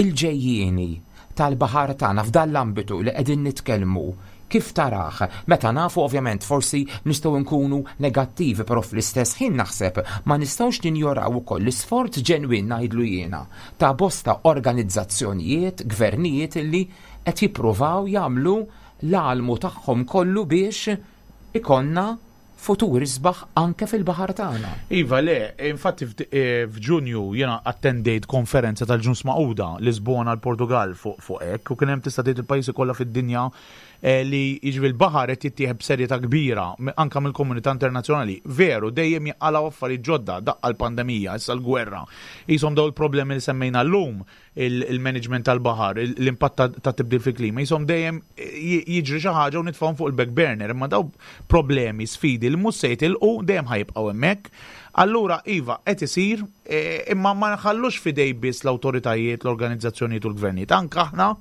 il-ġejjieni tal-baħar tagħna f'dan l-ambitu li qegħdin nitkellmu, kif tarah? Meta nafu ovvjament forsi nistgħu nkunu negattivi, però fl-istess ħin naħseb ma nistgħux ninjoraw ukoll l-isforz ġenwin, ngħidlu jiena, ta' bosta organizzazzjonijiet, gvernijiet illi qed jippruvaw jagħmlu l-almu tagħhom kollu biex ikollna futur isbaħ anke fil-baħar tagħna. Iva, le, infatti f'd- eh, f'Ġunju jiena attendejt konferenza tal-Ġnus Magħquda, Lisbona, l-Portugal, fuq fuq hekk, u kien hemm, tista' tgħid, il-pajjiżi kollha fid-dinja eh, li jiġri l-baħar qed jittieħed b'serjetà kbira m- anka mill-komunità internazzjonali. Veru, dejjem jinqalgħu affarijiet ġodda, daqqa l-pandemija, issa l-gwerra. Jisom daw il-problemi li semmejna llum, il-management tal-baħar, il- l-impatt ta- ta' tibdil fil-klima, jisom dejjem j- jiġri xi ħaġa u nitfgħuhom fuq il-back burner, imma daw problemi, sfidi li mhux se jitilqu, dejjem ħa jibqgħu hemmhekk. Allura, iva, qed isir, eh, imma ma nħallux f'idejn biss l-awtoritajiet, l-organizzazzjonijiet u l-gvernijiet. Anka aħna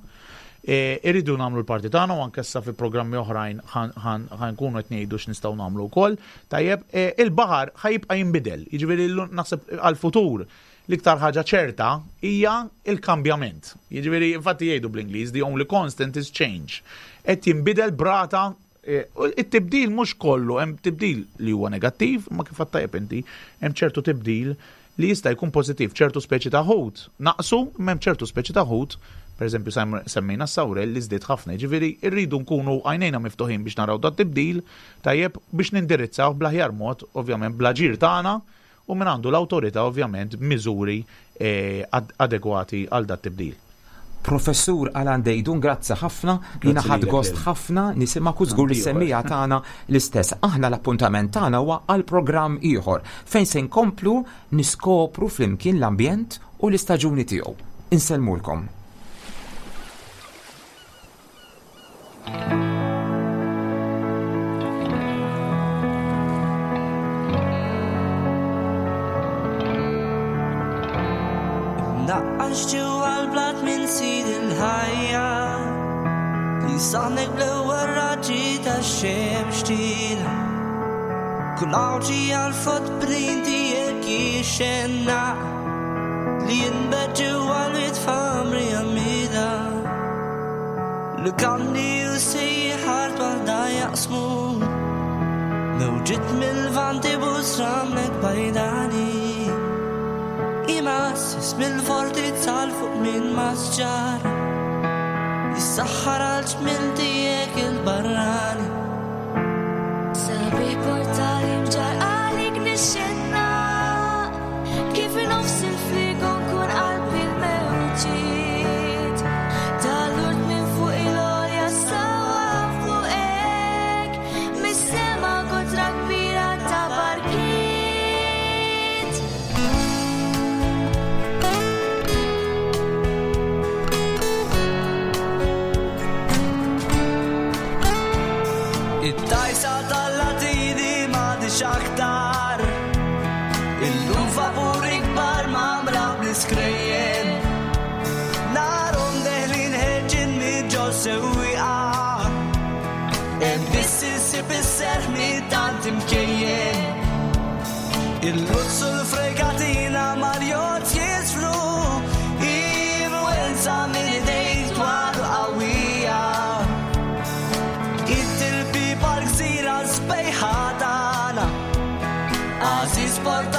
eh, irridu nagħmlu l-parti tagħna u anke issa fi programmi oħrajn ħa nkunu qed ngħidu x'nistgħu nagħmlu wkoll. Tajjeb, eh, il-baħar ħa jibqa' jinbidel. Jiġifieri llum naħseb għal-futur l-iktar ħaġa ċerta hija il-kambjament. Jiġifieri infatti jgħidu bl-Ingliż, "The only constant is change." Qed jinbidel b'rata eh, u it-tibdil mhux kollu, hemm tibdil li huwa negattiv, ma kif tajjeb inti, hemm ċertu tibdil li jista' jkun pożittiv, ċertu speċi ta' ħut. Naqsu, imma hemm ċertu speċi ta' ħut, per eżempju semmejna s-sawrel li żdied ħafna, ġifieri rridu nkunu għajnejna miftuħin biex naraw dat tibdil, tajjeb, biex nindirizzaw bl-aħjar mod, ovvjament bl-aġir tagħna u minn għandu l-awtorità, ovvjament miżuri eh, ad adegwati għal dat tibdil. Professur Alan Deidun, grazzi ħafna, jiena ħadt lilek, gost Lil. ħafna nisimgħek u żgur li Anki semmiegħa tagħna l-istess. Aħna l-appuntament tagħna huwa għal programm ieħor fejn se nkomplu niskopru flimkien l-ambjent u l-istaġuni tiegħu. Insellmulkom. Naqqax ġewwa l-blat minn sid il-ħajja li saħnek bl-ewwel raġġi tax-xemx tila. Kull għawġi għal-footprint tiegħek jixxenna li jinbet ġewwa l-wied famri għamida. Lukandi u sejħart waħda jaqsmu mewġiet mill-vanti busramlek bajdani. Imassis mill-fortizza l fuq minn masġar jissaħħar għal ġmil tiegħek il-barrani. Sabiħ portali mġar għalik nixxenna kif nofs il-frigon kun qalbi l-mewġiet tal-urt minn fuq il-olja sawa fuqek mis-sema kotra kbira ta' barkiet. It-tajsa tal-latini m'għadix aktar. Illum vapuri kbar mamra bl-iskrejjen. Narhom deħlin ħerġin minn sewwieqa. Hemm biss insib is-serħ minn tant imkejjen. Il-luzzu l-fregatina mal-jott jisfru. Influenza minn idejn twal u qawwija. It-tilbi pal-gżira sbejħa tagħna. Għażiż port.